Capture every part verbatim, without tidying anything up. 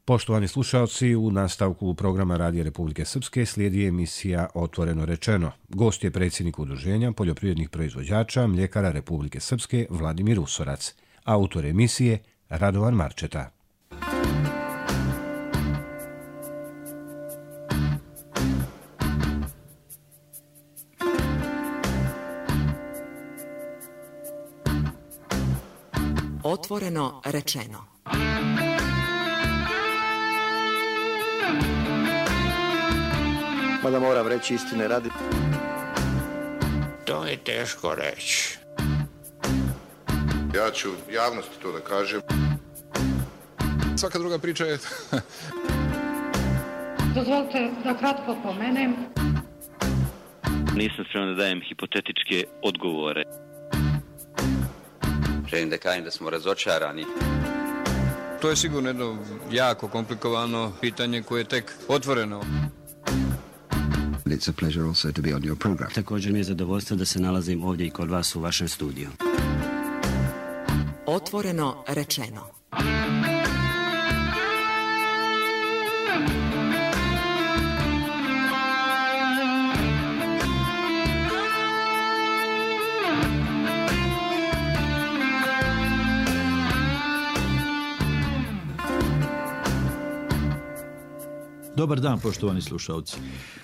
Poštovani slušalci, u nastavku programa Radija Republike Srpske slijedi emisija Otvoreno rečeno. Gost je predsjednik Udruženja poljoprivrednih proizvođača Mljekara Republike Srpske Vladimir Usorac. Autor emisije Radovan Marčeta. Otvoreno rečeno. Mada moram reći istine radi. To je teško reći. Ja ću javnosti to da kažem. Svaka druga priča je... Dozvolite da kratko pomenem. Nisam spreman da dajem hipotetičke odgovore. Želim da kažem da smo razočarani. To je sigurno jedno jako komplikovano pitanje koje je tek otvoreno. It's a pleasure also to be on your program. Također mi je zadovoljstvo da se nalazim ovdje i kod vas u vašem studiju. Otvoreno rečeno. Dobar dan, poštovani slušalci.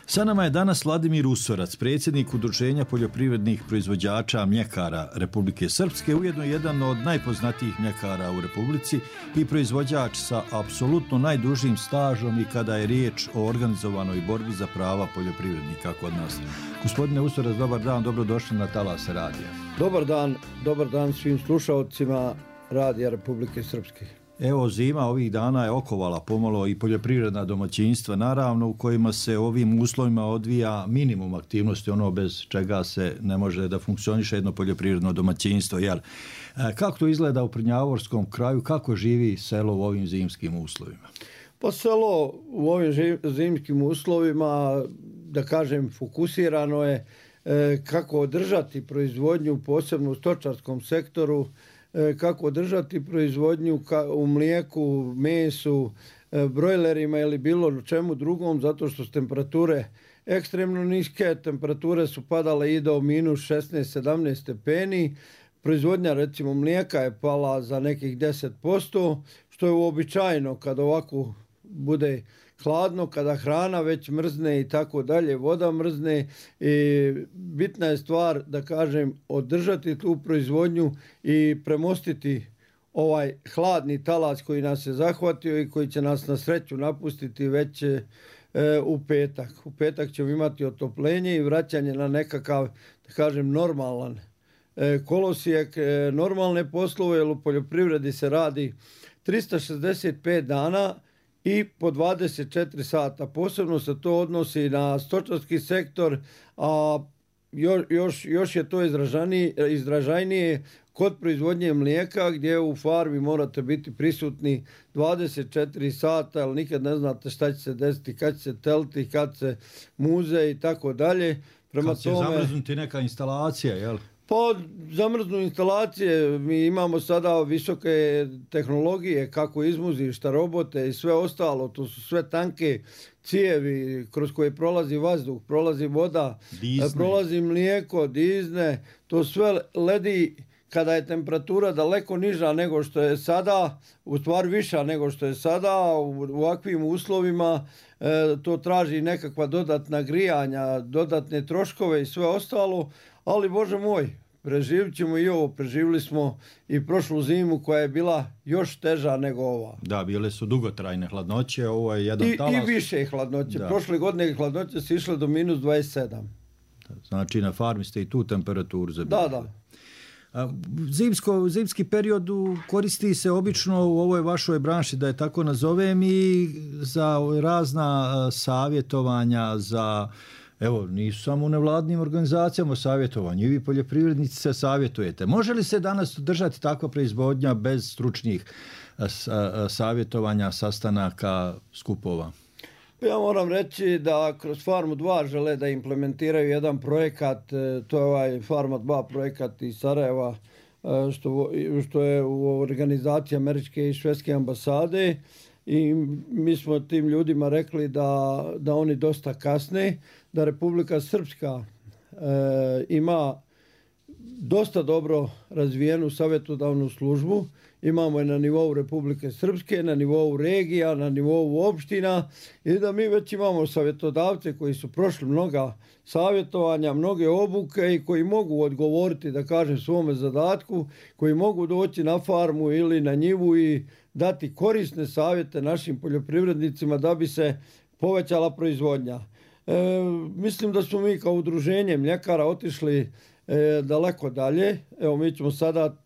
Sa nama je danas Vladimir Usorac, predsjednik Udruženja poljoprivrednih proizvođača Mljekara Republike Srpske, ujedno jedan od najpoznatijih mljekara u Republici i proizvođač sa apsolutno najdužim stažom i kada je riječ o organizovanoj borbi za prava poljoprivrednika kod nas. Gospodine Usorac, dobar dan, dobrodošli na Talase radija. Dobar dan, dobar dan svim slušalcima Radija Republike Srpske. Evo, zima ovih dana je okovala pomalo i poljoprivredna domaćinstva, naravno, u kojima se ovim uslovima odvija minimum aktivnosti, ono bez čega se ne može da funkcioniše jedno poljoprivredno domaćinstvo. Jel? Kako to izgleda u Prnjavorskom kraju, kako živi selo u ovim zimskim uslovima? Pa selo u ovim zimskim uslovima, da kažem, fokusirano je kako održati proizvodnju, posebno u stočarskom sektoru, kako održati proizvodnju u mlijeku, mesu, brojlerima ili bilo čemu drugom, zato što su temperature ekstremno niske, temperature su padale i do minus šesnaest sedamnaest stepeni, proizvodnja recimo mlijeka je pala za nekih deset posto, što je uobičajeno kad ovako bude hladno, kada hrana već mrzne i tako dalje, voda mrzne i bitna je stvar, da kažem, održati tu proizvodnju i premostiti ovaj hladni talas koji nas je zahvatio i koji će nas na sreću napustiti već e, u petak. U petak ćemo imati otoplenje i vraćanje na nekakav, da kažem, normalan e, kolosijek, e, normalne poslove, jer u poljoprivredi se radi trista šezdeset pet dana i po dvadeset četiri sata. Posebno se to odnosi na stočarski sektor, a još, još je to izražajnije kod proizvodnje mlijeka, gdje u farmi morate biti prisutni dvadeset četiri sata, ali nikad ne znate šta će se desiti, kad će se teliti, kad se muze i tako dalje. Kad će tome... zamrznuti neka instalacija, jel? Pa zamrznu instalacije, mi imamo sada visoke tehnologije, kako izmuzišta, robote i sve ostalo, to su sve tanke cijevi kroz koje prolazi vazduh, prolazi voda, Disney. Prolazi mlijeko, dizne, to sve ledi kada je temperatura daleko niža nego što je sada, u stvari viša nego što je sada, u ovakvim uslovima e, to traži nekakva dodatna grijanja, dodatne troškove i sve ostalo, ali Bože moj, preživit ćemo i ovo, preživili smo i prošlu zimu koja je bila još teža nego ova. Da, bile su dugotrajne hladnoće, ovo je jedan I, talas. I više hladnoće, da. Prošle godine hladnoće su išle do minus dvadeset sedam. Znači na farmi ste i tu temperaturu zabili. Da, da. Zimsko, zimski period koristi se obično u ovoj vašoj branši, da je tako nazovem, i za razna savjetovanja, za, evo, nisu samo u nevladnim organizacijama savjetovanje, i vi poljoprivrednici se savjetujete. Može li se danas držati takva proizvodnja bez stručnih savjetovanja, sastanaka, skupova? Ja moram reći da kroz Farmu dva žele da implementiraju jedan projekat, to je ovaj Farma dva projekat iz Sarajeva, što, što je u organizaciji američke i švedske ambasade. i mi smo tim ljudima rekli da, da oni dosta kasne, da Republika Srpska e, ima dosta dobro razvijenu savjetodavnu službu. Imamo je na nivou Republike Srpske, na nivou regija, na nivou opština i da mi već imamo savjetodavce koji su prošli mnoga savjetovanja, mnoge obuke i koji mogu odgovoriti, da kažem, svome zadatku, koji mogu doći na farmu ili na njivu i dati korisne savjete našim poljoprivrednicima da bi se povećala proizvodnja. E, mislim da smo mi kao udruženje mljekara otišli e, daleko dalje. Evo, mi ćemo sada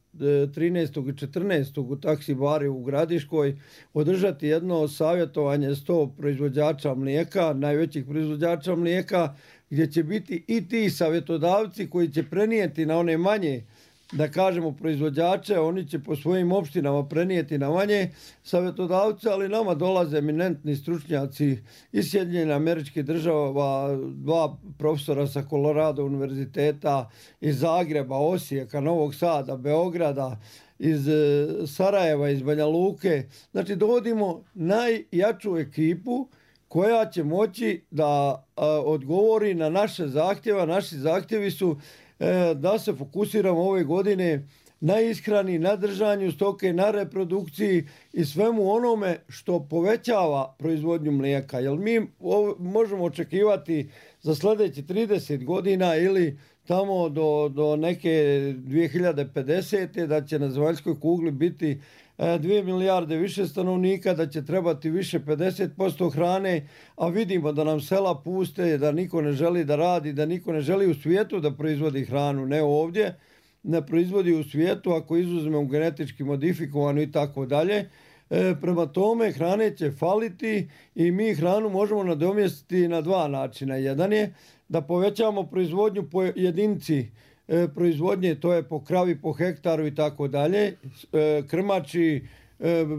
trinaestog i četrnaestog u taksi bari u Gradiškoj održati jedno savjetovanje sto proizvođača mlijeka, najvećih proizvođača mlijeka, gdje će biti i ti savjetodavci koji će prenijeti na one manje, da kažemo, proizvođače, oni će po svojim opštinama prenijeti na manje savjetodavce, ali nama dolaze eminentni stručnjaci iz Sjedinjenih Američkih Država, dva profesora sa Colorado univerziteta, iz Zagreba, Osijeka, Novog Sada, Beograda, iz Sarajeva, iz Banja Luke. Znači, dovodimo najjaču ekipu koja će moći da a, odgovori na naše zahtjeve. Naši zahtjevi su da se fokusiramo ove godine na ishrani, na držanju stoke, na reprodukciji i svemu onome što povećava proizvodnju mlijeka. Jer mi možemo očekivati za sljedeći trideset godina ili tamo do, do neke dvije hiljade pedesete da će na zemaljskoj kugli biti dvije milijarde više stanovnika, da će trebati više pedeset posto hrane, a vidimo da nam sela puste, da niko ne želi da radi, da niko ne želi u svijetu da proizvodi hranu, ne ovdje, ne proizvodi u svijetu ako izuzmemo genetički modifikovanu i tako dalje. Prema tome hrane će faliti i mi hranu možemo nadomjestiti na dva načina. Jedan je da povećamo proizvodnju po jedinici proizvodnje, to je po kravi, po hektaru i tako dalje, krmači,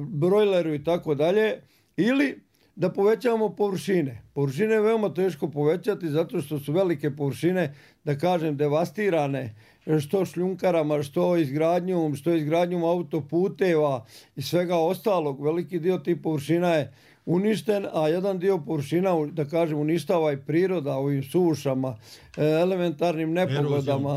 brojleru i tako dalje, ili da povećamo površine. Površine je veoma teško povećati zato što su velike površine, da kažem, devastirane, što šljunkarama, što izgradnjom, što izgradnjom autoputeva i svega ostalog. Veliki dio tih površina je uništen, a jedan dio površina, da kažem, uništava i priroda ovim sušama, elementarnim nepogodama,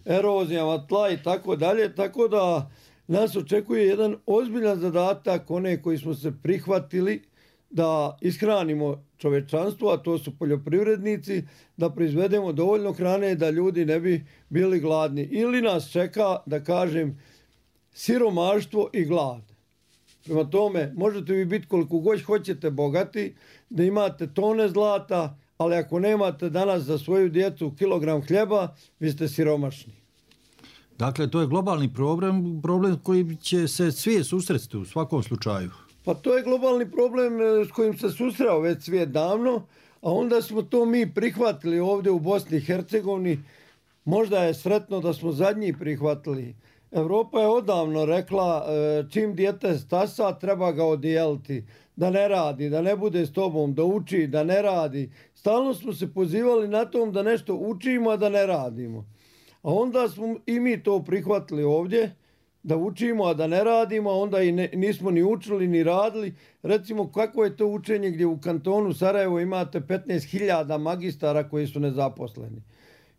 erozijama tla i tako dalje, tako da nas očekuje jedan ozbiljan zadatak, one koji smo se prihvatili da ishranimo čovečanstvo, a to su poljoprivrednici, da proizvedemo dovoljno hrane da ljudi ne bi bili gladni. Ili nas čeka, da kažem, siromaštvo i glad. Prema tome, možete vi biti koliko god hoćete bogati, da imate tone zlata, ali ako nemate danas za svoju djecu kilogram hljeba, vi ste siromašni. Dakle, to je globalni problem, problem koji će se svijet susresti u svakom slučaju. Pa to je globalni problem s kojim se susreo već svijet davno, a onda smo to mi prihvatili ovdje u Bosni i Hercegovini. Možda je sretno da smo zadnji prihvatili. Evropa je odavno rekla čim dijete stasa treba ga odijeliti, da ne radi, da ne bude s tobom, da uči, da ne radi. Stalno smo se pozivali na tom da nešto učimo, a da ne radimo. A onda smo i mi to prihvatili ovdje, da učimo, a da ne radimo, a onda i ne, nismo ni učili ni radili. Recimo, kako je to učenje gdje u kantonu Sarajevo imate petnaest hiljada magistara koji su nezaposleni.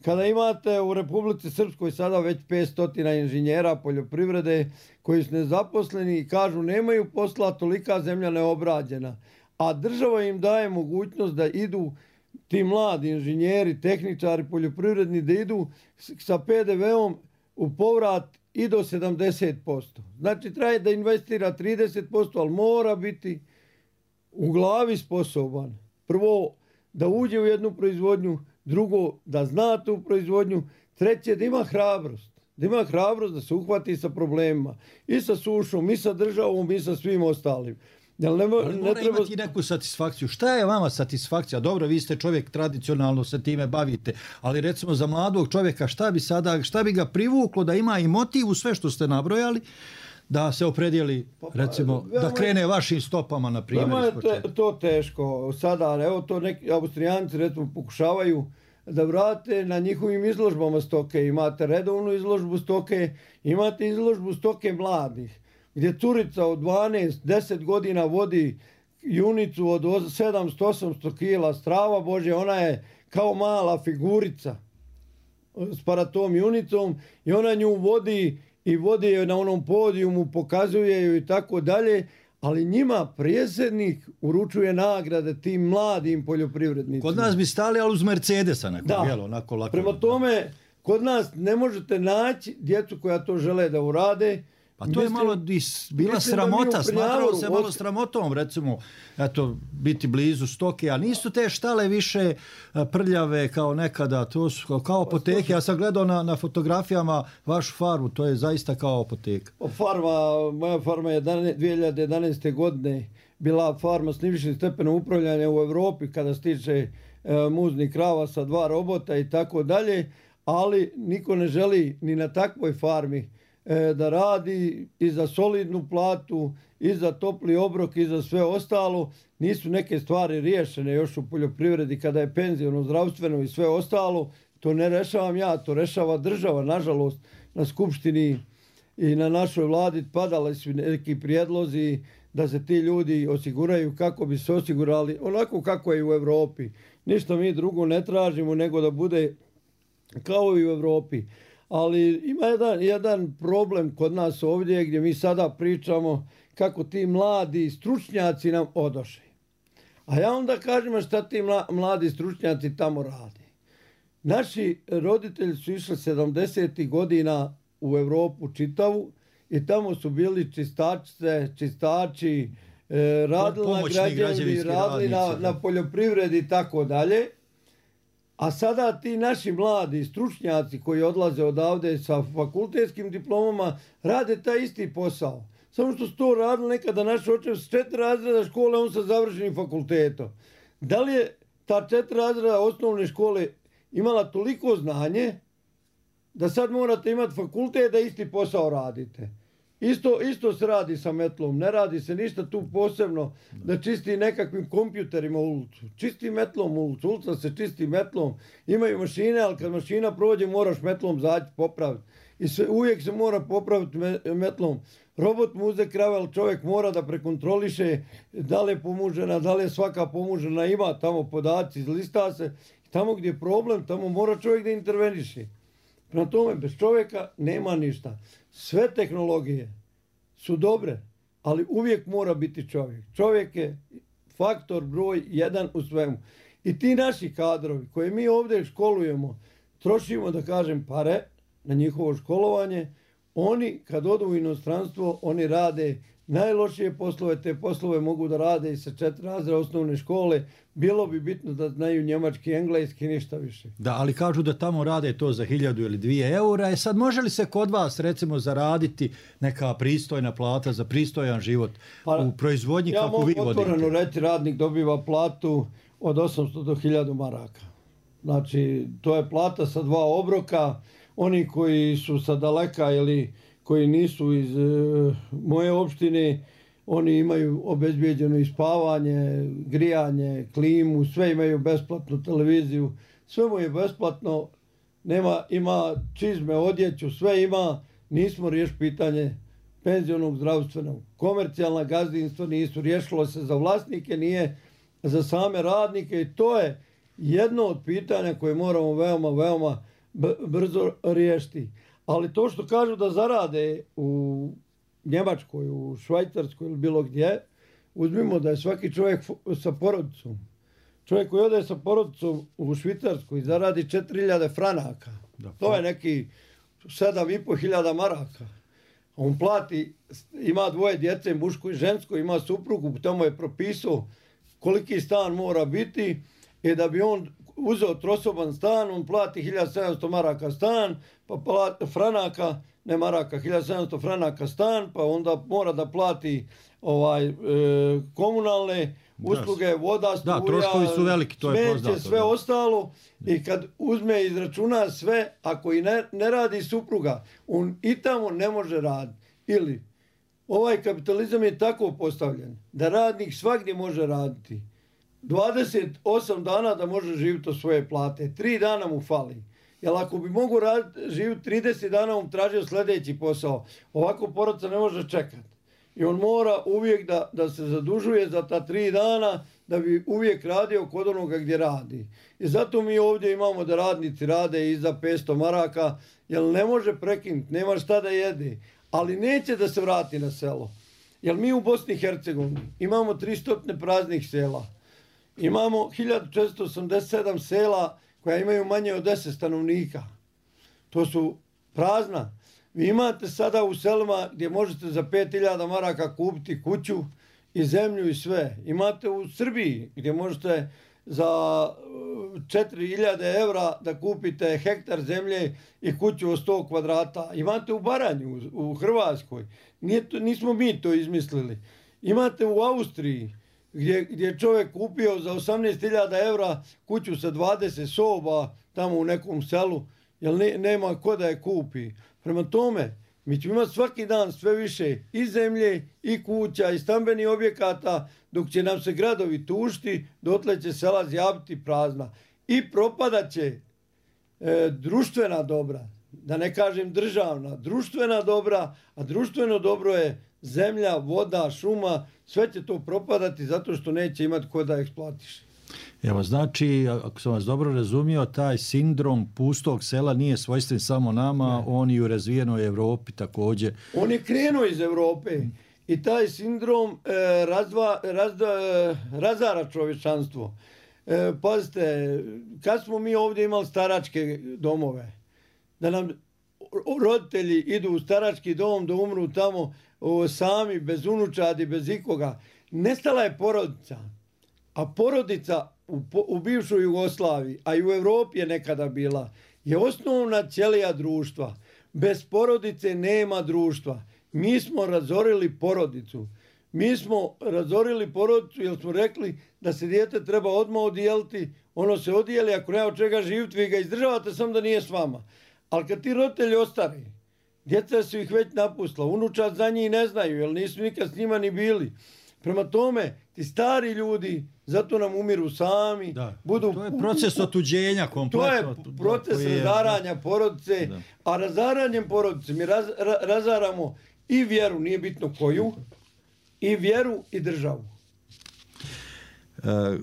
Kada imate u Republici Srpskoj sada već petsto inženjera poljoprivrede koji su nezaposleni i kažu nemaju posla, tolika zemlja neobrađena. A država im daje mogućnost da idu ti mladi inženjeri, tehničari, poljoprivredni, da idu sa pe de veom u povrat i do sedamdeset posto. Znači, treba da investira trideset posto, ali mora biti u glavi sposoban. Prvo, da uđe u jednu proizvodnju, drugo, da zna tu proizvodnju, treće, da ima hrabrost. Da ima hrabrost da se uhvati sa problemima. I sa sušom, i sa državom, i sa svim ostalim. Jel ne, Ali ne mora treba... imati neku satisfakciju. Šta je vama satisfakcija? Dobro, vi ste čovjek, tradicionalno se time bavite, ali recimo za mladog čovjeka šta bi sada, šta bi ga privuklo da ima i motiv u sve što ste nabrojali, da se opredijeli, recimo, pa, da krene vašim stopama, na primjer. Vama je te, to teško. Sada, evo to neki Austrijanci, recimo, pokušavaju da vrate na njihovim izložbama stoke. Imate redovnu izložbu stoke, imate izložbu stoke mladih. gdje curica od dvanaest deset godina vodi junicu od sedamsto osamsto kila, strava Bože, ona je kao mala figurica s paratom junicom i ona nju vodi i vodi je na onom podijumu, pokazuje ju i tako dalje, ali njima predsjednik uručuje nagrade tim mladim poljoprivrednicima. Kod nas bi stali, ali uz Mercedesa nekog, da. Jel, onako lako. Prema tome, kod nas ne možete naći djecu koja to žele da urade. Pa to mislim, je malo is, bila sramota, smatralo se malo sramotom, recimo, eto, biti blizu stoke, a nisu te štale više prljave kao nekada, to su kao apoteke. Ja sam gledao na, na fotografijama vašu farmu, to je zaista kao apoteka. Farma, moja farma je dvije hiljade jedanaeste. godine bila farma s najvišim stepenom upravljanja u Europi kada se tiče e, muznih krava sa dva robota i tako dalje, ali niko ne želi ni na takvoj farmi da radi i za solidnu platu, i za topli obrok, i za sve ostalo. Nisu neke stvari riješene još u poljoprivredi kada je penziono, zdravstveno i sve ostalo. To ne rešavam ja, to rešava država. Nažalost, na skupštini i na našoj vladi padali su neki prijedlozi da se ti ljudi osiguraju kako bi se osigurali, onako kako je u Europi. Ništa mi drugo ne tražimo nego da bude kao i u Europi. Ali ima jedan, jedan problem kod nas ovdje gdje mi sada pričamo kako ti mladi stručnjaci nam odoše. A ja onda kažem šta ti mladi stručnjaci tamo rade. Naši roditelji su išli sedamdesetih godina u Europu čitavu i tamo su bili čistačice, čistači, eh, radili na građevini, radili na, na poljoprivredi i tako dalje. A sada ti naši mladi stručnjaci koji odlaze odavde sa fakultetskim diplomama rade taj isti posao. Samo što su to radili nekada naši očevi s četiri razreda škole, on sa završenim fakultetom. Da li je ta četiri razreda osnovne škole imala toliko znanje da sad morate imati fakultet da isti posao radite? Isto, isto se radi sa metlom, ne radi se ništa tu posebno da čisti nekakvim kompjuterima ulicu. Čisti metlom ulicu, ulica se čisti metlom, imaju mašine, ali kad mašina prođe moraš metlom zaći, popraviti. I sve, uvijek se mora popraviti metlom. Robot mu uze krave, ali čovjek mora da prekontroliše da li je pomužena, da li je svaka pomužena, ima tamo podaci, izlista se. Tamo gdje je problem, tamo mora čovjek da interveniše. Prema tome, bez čovjeka nema ništa. Sve tehnologije su dobre, ali uvijek mora biti čovjek. Čovjek je faktor broj jedan u svemu. I ti naši kadrovi koje mi ovdje školujemo, trošimo, da kažem, pare na njihovo školovanje, oni kad odu u inostranstvo, oni rade najlošije poslove, te poslove mogu da rade i sa četiri razreda osnovne škole. Bilo bi bitno da znaju njemački, engleski, ništa više. Da, ali kažu da tamo rade to za hiljadu ili dvije eura. E sad, može li se kod vas, recimo, zaraditi neka pristojna plata za pristojan život pa, u proizvodnji ja kako vi vodite? Ja mogu otvoreno reći, radnik dobiva platu od osamsto do hiljadu maraka. Znači, to je plata sa dva obroka. Oni koji su sa daleka ili koji nisu iz e, moje opštine, oni imaju obezbijeđeno i spavanje, grijanje, klimu, sve imaju besplatnu televiziju, sve mu je besplatno, nema, ima čizme, odjeću, sve ima, nismo riješili pitanje penzionog, zdravstvenog. Komercijalna gazdinstva nisu, riješilo se za vlasnike, nije za same radnike i to je jedno od pitanja koje moramo veoma, veoma brzo riješiti. Ali to što kažu da zarade u Njemačkoj, u Švajcarskoj ili bilo gdje, uzmimo da je svaki čovjek sa porodicom. Čovjek koji ode sa porodicom u Švicarsku i zaradi četiri hiljade franaka. Da, to je neki sedam i pol hiljada maraka. On plati, ima dvoje djece, muško i žensko, ima suprugu, tamo je propisao koliki stan mora biti i da bi on uzeo trosoban stan, on plati hiljadu sedamsto maraka stan, pa plati franaka, ne maraka, hiljadu sedamsto franaka stan, pa onda mora da plati ovaj e, komunalne usluge, voda, struja, da, troškovi su veliki, to je poznato, sve da. Ostalo. I kad uzme i izračuna sve, ako i ne, ne radi supruga, on i tamo ne može raditi. Ili ovaj kapitalizam je tako postavljen da radnik svagdje može raditi. dvadeset osam dana da može živjeti od svoje plate. Tri dana mu fali. Jer ako bi mogu živjeti trideset dana, on tražio sljedeći posao. Ovako porodica ne može čekati. I on mora uvijek da, da se zadužuje za ta tri dana da bi uvijek radio kod onoga gdje radi. I zato mi ovdje imamo da radnici rade i za petsto maraka, jer ne može prekinuti, nema šta da jede, ali neće da se vrati na selo. Jer mi u Bosni i Hercegovini imamo tristo praznih sela. Imamo hiljadu četiristo osamdeset sedam sela koja imaju manje od deset stanovnika. To su prazna. Vi imate sada u selima gdje možete za pet hiljada maraka kupiti kuću i zemlju i sve. Imate u Srbiji gdje možete za četiri hiljade evra da kupite hektar zemlje i kuću od sto kvadrata. Imate u Baranju, u Hrvatskoj. Nije to, nismo mi to izmislili. Imate u Austriji gdje, gdje je čovjek kupio za osamnaest hiljada evra kuću sa dvadeset soba tamo u nekom selu, jer ne, nema ko da je kupi. Prema tome, mi ćemo imati svaki dan sve više i zemlje, i kuća, i stambenih objekata, dok će nam se gradovi tušti, dotle će sela zjaviti prazna. I propadat će e, društvena dobra, da ne kažem državna, društvena dobra, a društveno dobro je zemlja, voda, šuma, sve će to propadati zato što neće imati ko da eksploatiše. Evo, znači, ako sam vas dobro razumio, taj sindrom pustog sela nije svojstven samo nama, ne. On i u razvijenoj Evropi također. On je krenuo iz Europe i taj sindrom e, razva, razda, razara čovječanstvo. E, pazite, kad smo mi ovdje imali staračke domove, da nam roditelji idu u starački dom da umru tamo o, sami, bez unučadi, bez ikoga, nestala je porodica. A porodica u, u bivšoj Jugoslaviji, a i u Europi je nekada bila, je osnovna ćelija društva. Bez porodice nema društva. Mi smo razorili porodicu. Mi smo razorili porodicu jer smo rekli da se dijete treba odmah odijeliti. Ono se odijeli, ako nema od čega živjeti, vi ga izdržavate samo da nije s vama. Ali kad ti roditelji ostari, djeca su ih već napustila, unučad za njih ne znaju jer nisu nikad s njima ni bili. Prema tome, ti stari ljudi, zato nam umiru sami. Da, budu, to je proces otuđenja kompletno. To je proces je, razaranja porodice, da. A razaranjem porodice mi raz, ra, razaramo i vjeru, nije bitno koju, i vjeru i državu. E,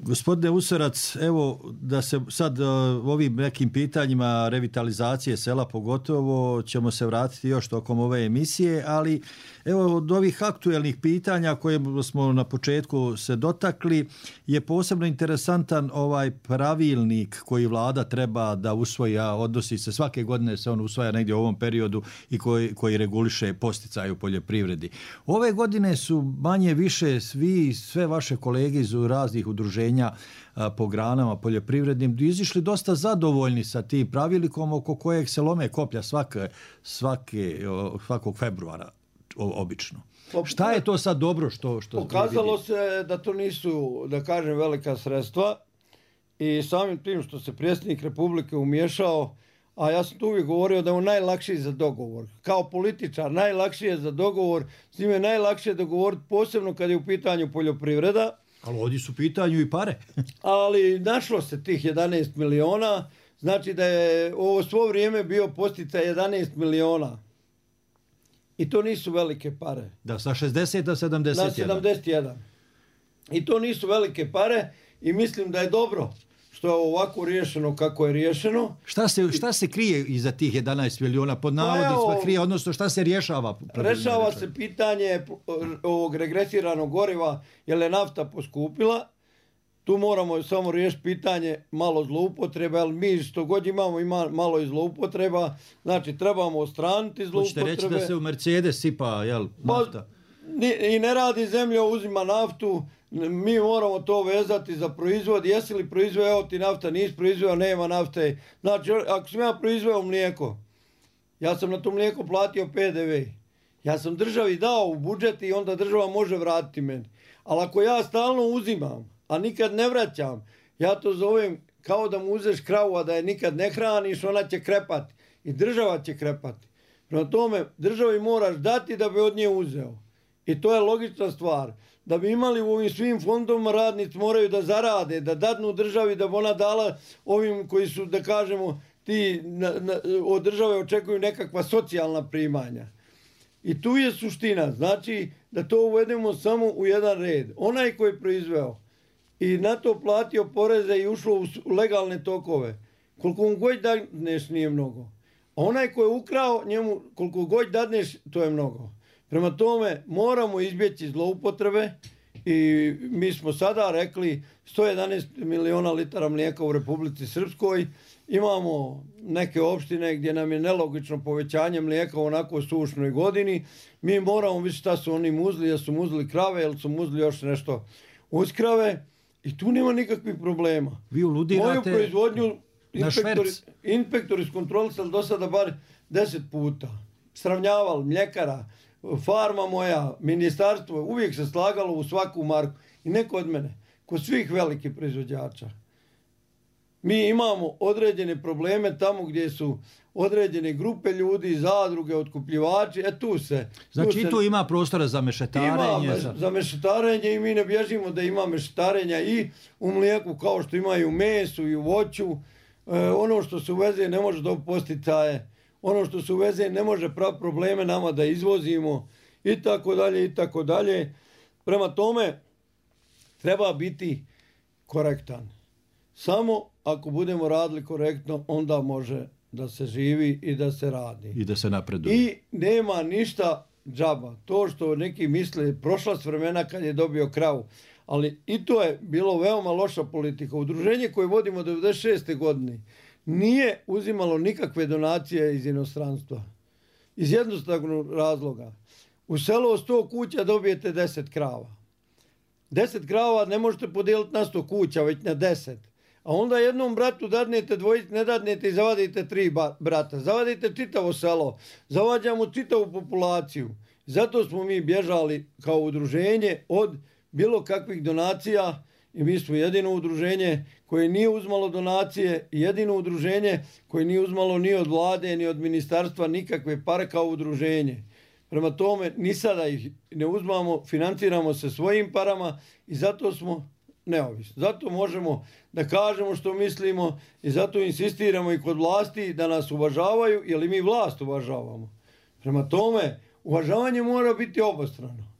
Gospodine Usorac, evo da se sad uh, ovim nekim pitanjima revitalizacije sela pogotovo ćemo se vratiti još tokom ove emisije, ali evo od ovih aktuelnih pitanja koje smo na početku se dotakli je posebno interesantan ovaj pravilnik koji vlada treba da usvoji, a odnosi se svake godine se on usvaja negdje u ovom periodu i koji, koji reguliše posticaje u poljoprivredi. Ove godine su manje više svi, sve vaše kolege iz raznih udruženja po granama poljoprivrednim izišli dosta zadovoljni sa tim pravilnikom oko kojeg se lome koplja svake, svake, svakog februara obično. Šta je to sad dobro što, što pokazalo se da to nisu, da kažem, velika sredstva i samim tim što se predsjednik Republike umiješao, a ja sam tu uvijek govorio da je on najlakši za dogovor. Kao političar najlakši je za dogovor, s njime je najlakše dogovoriti, posebno kad je u pitanju poljoprivreda. Ali ovdje su pitanju i pare. Ali našlo se tih jedanaest miliona, znači da je ovo svo vrijeme bio posticaj jedanaest miliona. I to nisu velike pare. Da, sa šezdeset na sedamdeset jedan. Na sedamdeset jedan. I to nisu velike pare i mislim da je dobro što je ovako riješeno kako je riješeno. Šta se, šta se krije iza tih jedanaest miliona pod navodnicima krije, odnosno šta se rješava? Rješava se pitanje ovog regresiranog goriva, jer je nafta poskupila. Tu moramo samo riješiti pitanje malo zloupotreba, ali mi što god imamo ima malo i zloupotreba. Znači trebamo ostraniti zloupotrebe. Hoćete reći da se u Mercedes sipa, jel, nafta? I ne radi zemlja, uzima naftu. Mi moramo to vezati za proizvod. Jesi li proizveo, evo ti nafta, nisi proizveo, nema nafte. Znači, ako sam ja proizveo mlijeko, ja sam na to mlijeko platio P D V. Ja sam državi dao u budžet i onda država može vratiti meni. Ali ako ja stalno uzimam, a nikad ne vraćam, ja to zovem kao da mu uzeš kravu, a da je nikad ne hraniš, ona će krepati. I država će krepati. Prema tome, državi moraš dati da bi od nje uzeo. I to je logična stvar. Da bi imali u ovim svim fondovima, radnici moraju da zarade, da dadnu državi, da bi ona dala ovim koji su, da kažemo, ti na, na, od države očekuju nekakva socijalna primanja. I tu je suština, znači da to uvedemo samo u jedan red. Onaj koji je proizveo i na to platio poreze i ušlo u legalne tokove, koliko mu god dadneš nije mnogo. A onaj koji je ukrao, njemu koliko god dadneš, to je mnogo. Prema tome moramo izbjeći zloupotrebe i mi smo sada rekli sto jedanaest miliona litara mlijeka u Republici Srpskoj. Imamo neke opštine gdje nam je nelogično povećanje mlijeka u onako sušnoj godini. Mi moramo vidjeti šta su oni muzli, jel su muzli krave, jel su muzli još nešto uz krave. I tu nema nikakvih problema. Vi uludirate moju proizvodnju inspektori, inspektori su kontrolisali do sada bar deset puta. Sravnjavali mljekara, farma moja, ministarstvo, uvijek se slagalo u svaku marku. I neko od mene, kod svih velikih proizvođača. Mi imamo određene probleme tamo gdje su određene grupe ljudi, zadruge, otkupljivači, e tu se... Znači tu i se, tu ima prostora za mešetarenje? Ima za... za mešetarenje i mi ne bježimo da ima mešetarenja i u mlijeku kao što ima i u mesu i u voću. E, ono što se uveze ne može dobiti posticaje, ono što se uveze ne može prav probleme nama da izvozimo i tako dalje i tako dalje. Prema tome treba biti korektan. Samo ako budemo radili korektno, onda može da se živi i da se radi. I da se napreduje. I nema ništa džaba. To što neki misle, prošla s vremena kad je dobio kravu. Ali i to je bilo veoma loša politika. Udruženje koje vodimo devedeset šeste godine nije uzimalo nikakve donacije iz inostranstva. Iz jednostavnog razloga. U selo sto kuća dobijete deset krava. deset krava ne možete podijeliti na sto kuća, već na deset. A onda jednom bratu dadnete dvojice, ne dadnete i zavadite tri brata. Zavadite čitavo selo. Zavađamo čitavu populaciju. Zato smo mi bježali kao udruženje od bilo kakvih donacija i mi smo jedino udruženje koje nije uzmalo donacije i jedino udruženje koje nije uzmalo ni od vlade, ni od ministarstva nikakve pare kao udruženje. Prema tome, ni sada ih ne uzmamo, financiramo se svojim parama i zato smo neovisni. Zato možemo da kažemo što mislimo i zato insistiramo i kod vlasti da nas uvažavaju, jer i mi vlast uvažavamo. Prema tome, uvažavanje mora biti obostrano.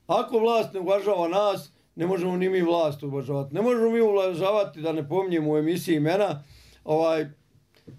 Ako vlast ne uvažava nas, ne možemo ni mi vlast uvažavati. Ne možemo mi uvažavati, da ne pominjemo u emisiji imena, ovaj,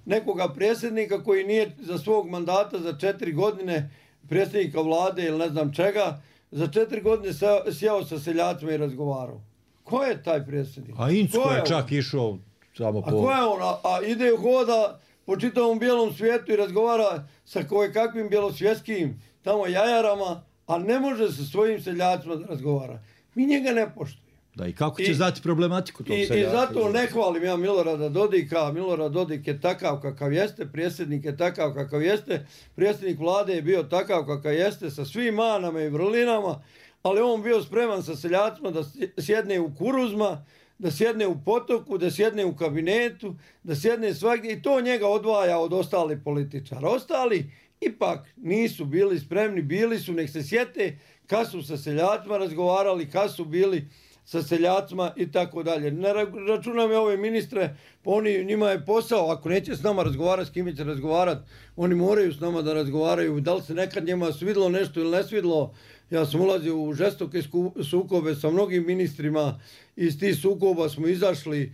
nekoga predsjednika koji nije za svog mandata za četiri godine predsjednika vlade ili ne znam čega, za četiri godine sjeo sa seljacima i razgovarao. Ko je taj predsjednik? A Incko je, je čak išao samo po... A ko je on? A, a ide hoda po čitavom bijelom svijetu i razgovara sa koje kakvim bjelosvjetskim tamo jajarama, a ne može sa svojim seljacima da razgovara. Mi njega ne poštujemo. Da, i kako će I, znati problematiku tog i, seljaka? I zato ne hvalim ja Milorada Dodika. Milorad Dodik je takav kakav jeste, predsjednik je takav kakav jeste, predsjednik vlade je bio takav kakav jeste, sa svim manama i vrlinama, ali on bio spreman sa seljacima da sjedne u Kuruzma, da sjedne u Potoku, da sjedne u kabinetu, da sjedne svagdje i to njega odvaja od ostalih političara. Ostali ipak nisu bili spremni, bili su, nek se sjete kad su sa seljacima razgovarali, kad su bili sa seljacima i tako dalje. Ne računam je ove ministre, pa oni, njima je posao, ako neće s nama razgovarati, s kime će razgovarati, oni moraju s nama da razgovaraju, da li se nekad njima svidlo nešto ili ne svidlo. Ja sam ulazio u žestoke sukobe sa mnogim ministrima, iz tih sukoba smo izašli,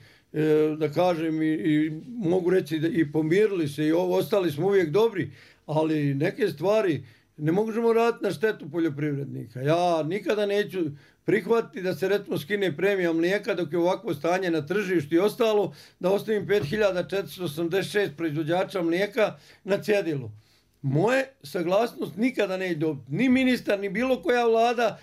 da kažem, i, i mogu reći da i pomirili se i ostali smo uvijek dobri, ali neke stvari ne možemo raditi na štetu poljoprivrednika. Ja nikada neću prihvatiti da se recimo skine premija mlijeka dok je ovakvo stanje na tržištu i ostalo, da ostavim pet hiljada četiristo osamdeset šest proizvođača mlijeka na cjedilu. Moje saglasnost nikada neće dobiti ni ministar, ni bilo koja vlada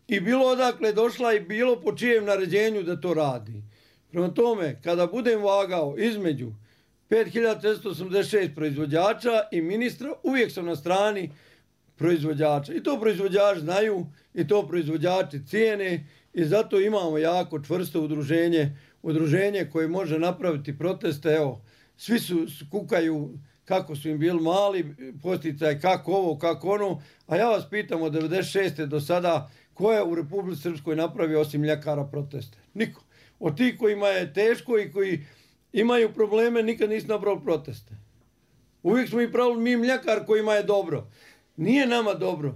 i bilo odakle došla i bilo po čijem naređenju da to radi. Prema tome, kada budem vagao između pet hiljada četiristo osamdeset šest proizvođača i ministra, uvijek sam na strani proizvođača. I to proizvođači znaju, i to proizvođači cijene i zato imamo jako čvrsto udruženje, udruženje koje može napraviti proteste. Evo, svi su kukaju kako su im bili mali posticaj, kako ovo, kako ono, a ja vas pitam od devedeset šeste do sada, ko je u Republici Srpskoj napravio osim mljekara proteste? Niko. Od tih kojima je teško i koji imaju probleme, nikad nisu napravili proteste. Uvijek smo i pravili mi mljekar kojima je dobro. Nije nama dobro.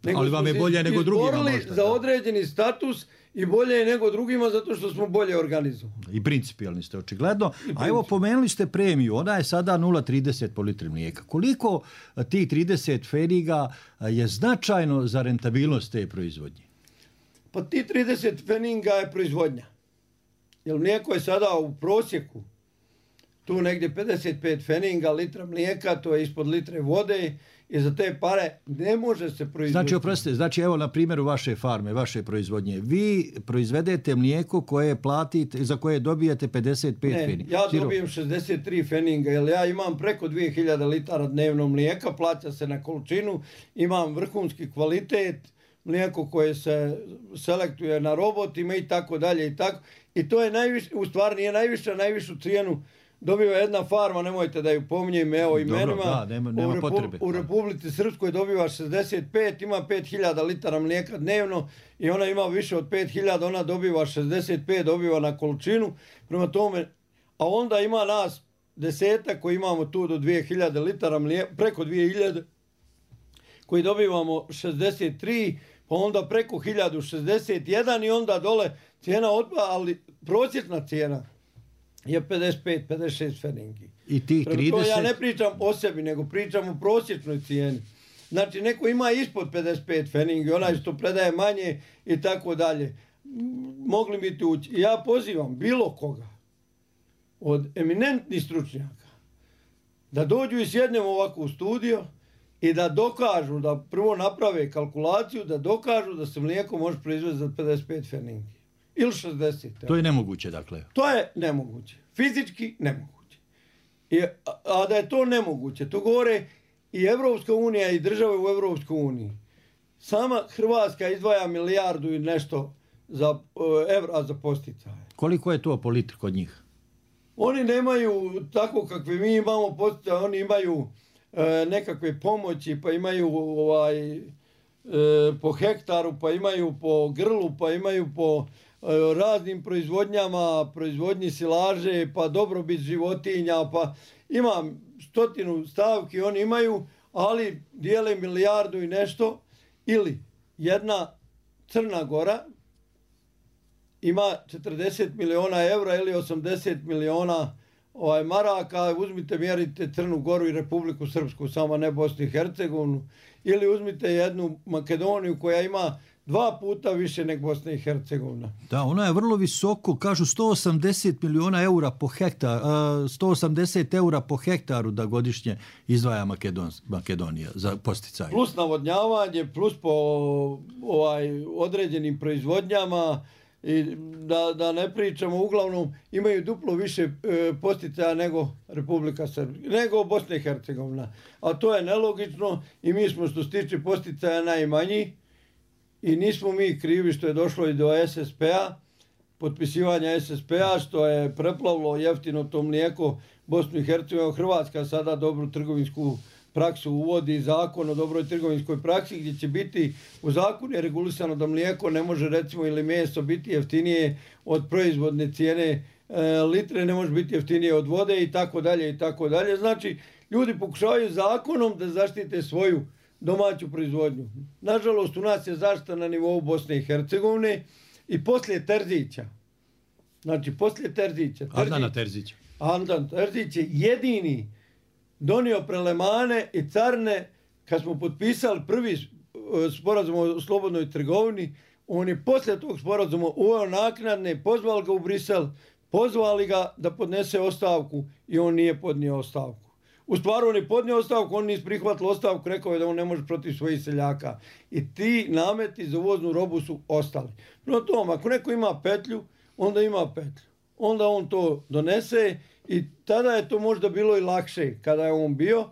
Nego ali vam je bolje nego drugima možda. Za određeni status i bolje je nego drugima zato što smo bolje organizovani. I principijalni ste očigledno. A evo pomenuli ste premiju, ona je sada nula zarez trideset po litri mlijeka. Koliko tih trideset pfeniga je značajno za rentabilnost te proizvodnje? Pa ti trideset pfeniga je proizvodnja. Jer mlijeko je sada u prosjeku tu negdje pedeset pet pfeniga litra mlijeka, to je ispod litre vode i za te pare ne može se proizvoditi. Znači, oprostite, znači evo na primjeru vaše farme, vaše proizvodnje, vi proizvedete mlijeko koje platite, za koje dobijete pedeset pet pfeniga. Ne, ja dobijem šezdeset tri pfeniga, jer ja imam preko dvije hiljade litara dnevno mlijeka, plaća se na količinu, imam vrhunski kvalitet, mlijeko koje se selektuje na robotima i tako dalje i tako. I to je najviše, u stvari nije najviša, najvišu cijenu dobiva jedna farma, nemojte da ju pominjem, evo imenima. Dobro, da, nema, nema u, Repu, potrebe. U Republici Srpskoj dobiva šezdeset pet, ima pet hiljada litara mlijeka dnevno i ona ima više od pet hiljada, ona dobiva šezdeset pet, dobiva na količinu. Prema tome, a onda ima nas desetak koji imamo tu do dvije hiljade litara mlijeka, preko dvije hiljade, koji dobivamo šezdeset tri, pa onda preko hiljadu šezdeset jedan i onda dole cijena otpada, ali prosječna cijena je pedeset pet pedeset šest pfenigi. I tih trideset... To ja ne pričam o sebi, nego pričam o prosječnoj cijeni. Znači, neko ima ispod pedeset pet pfenigi, onaj što predaje manje i tako dalje. Mogli bi tu ući. Ja pozivam bilo koga od eminentnih stručnjaka da dođu i sjednemo ovako u studio i da dokažu, da prvo naprave kalkulaciju, da dokažu da se mlijeko može proizvesti za pedeset pet pfenigi. Ili šezdeset. To je nemoguće, dakle. To je nemoguće. Fizički nemoguće. I, a, a da je to nemoguće, to govore i Evropska unija i države u Evropskoj uniji. Sama Hrvatska izdvaja milijardu i nešto za, uh, evra za posticaje. Koliko je to po litri kod njih? Oni nemaju tako kakve mi imamo posticaje, oni imaju uh, nekakve pomoći, pa imaju ovaj, uh, po hektaru, pa imaju po grlu, pa imaju po raznim proizvodnjama, proizvodnji silaže, pa dobrobit životinja, pa ima stotinu stavki, oni imaju, ali dijele milijardu i nešto, ili jedna Crna Gora ima četrdeset miliona evra ili osamdeset miliona ovaj, maraka, uzmite, mjerite Crnu Goru i Republiku Srpsku, samo ne Bosnu i Hercegovinu, ili uzmite jednu Makedoniju koja ima dva puta više nego Bosna i Hercegovina. Da, ona je vrlo visoko, kažu sto osamdeset miliona eura po hektar, sto osamdeset eura po hektaru da godišnje izdvaja Makedon, Makedonija za posticaje. Plus navodnjavanje, plus po ovaj, određenim proizvodnjama, i da, da ne pričamo, uglavnom imaju duplo više e, posticaja nego Republika Srpska, nego Bosna i Hercegovina. A to je nelogično i mi smo što se tiče posticaja najmanji. I nismo mi krivi što je došlo i do S S P-a, potpisivanja S S P-a, što je preplavilo jeftino to mlijeko Bosnu i Hercegovinu. Hrvatska sada dobru trgovinsku praksu uvodi, zakon o dobroj trgovinskoj praksi, gdje će biti u zakonu je regulisano da mlijeko ne može, recimo, ili meso biti jeftinije od proizvodne cijene e, litre, ne može biti jeftinije od vode i tako dalje i tako dalje. Znači, ljudi pokušavaju zakonom da zaštite svoju domaću proizvodnju. Nažalost, u nas je zaštita na nivou Bosne i Hercegovine i poslije Terzića. Znači, poslije Terzića. Terzić, Andana Terzića. Andan Terzić je jedini donio prelemane i carne kad smo potpisali prvi sporazum o slobodnoj trgovini. On je poslije tog sporazuma uveo naknadne, pozvali ga u Brisel, pozvali ga da podnese ostavku i on nije podnio ostavku. U stvari on je podnio ostavku, on nije prihvatio ostavku, rekao je da on ne može protiv svojih seljaka. I ti nameti za uvoznu robu su ostali. No tom, ako neko ima petlju, onda ima petlju. Onda on to donese i tada je to možda bilo i lakše kada je on bio.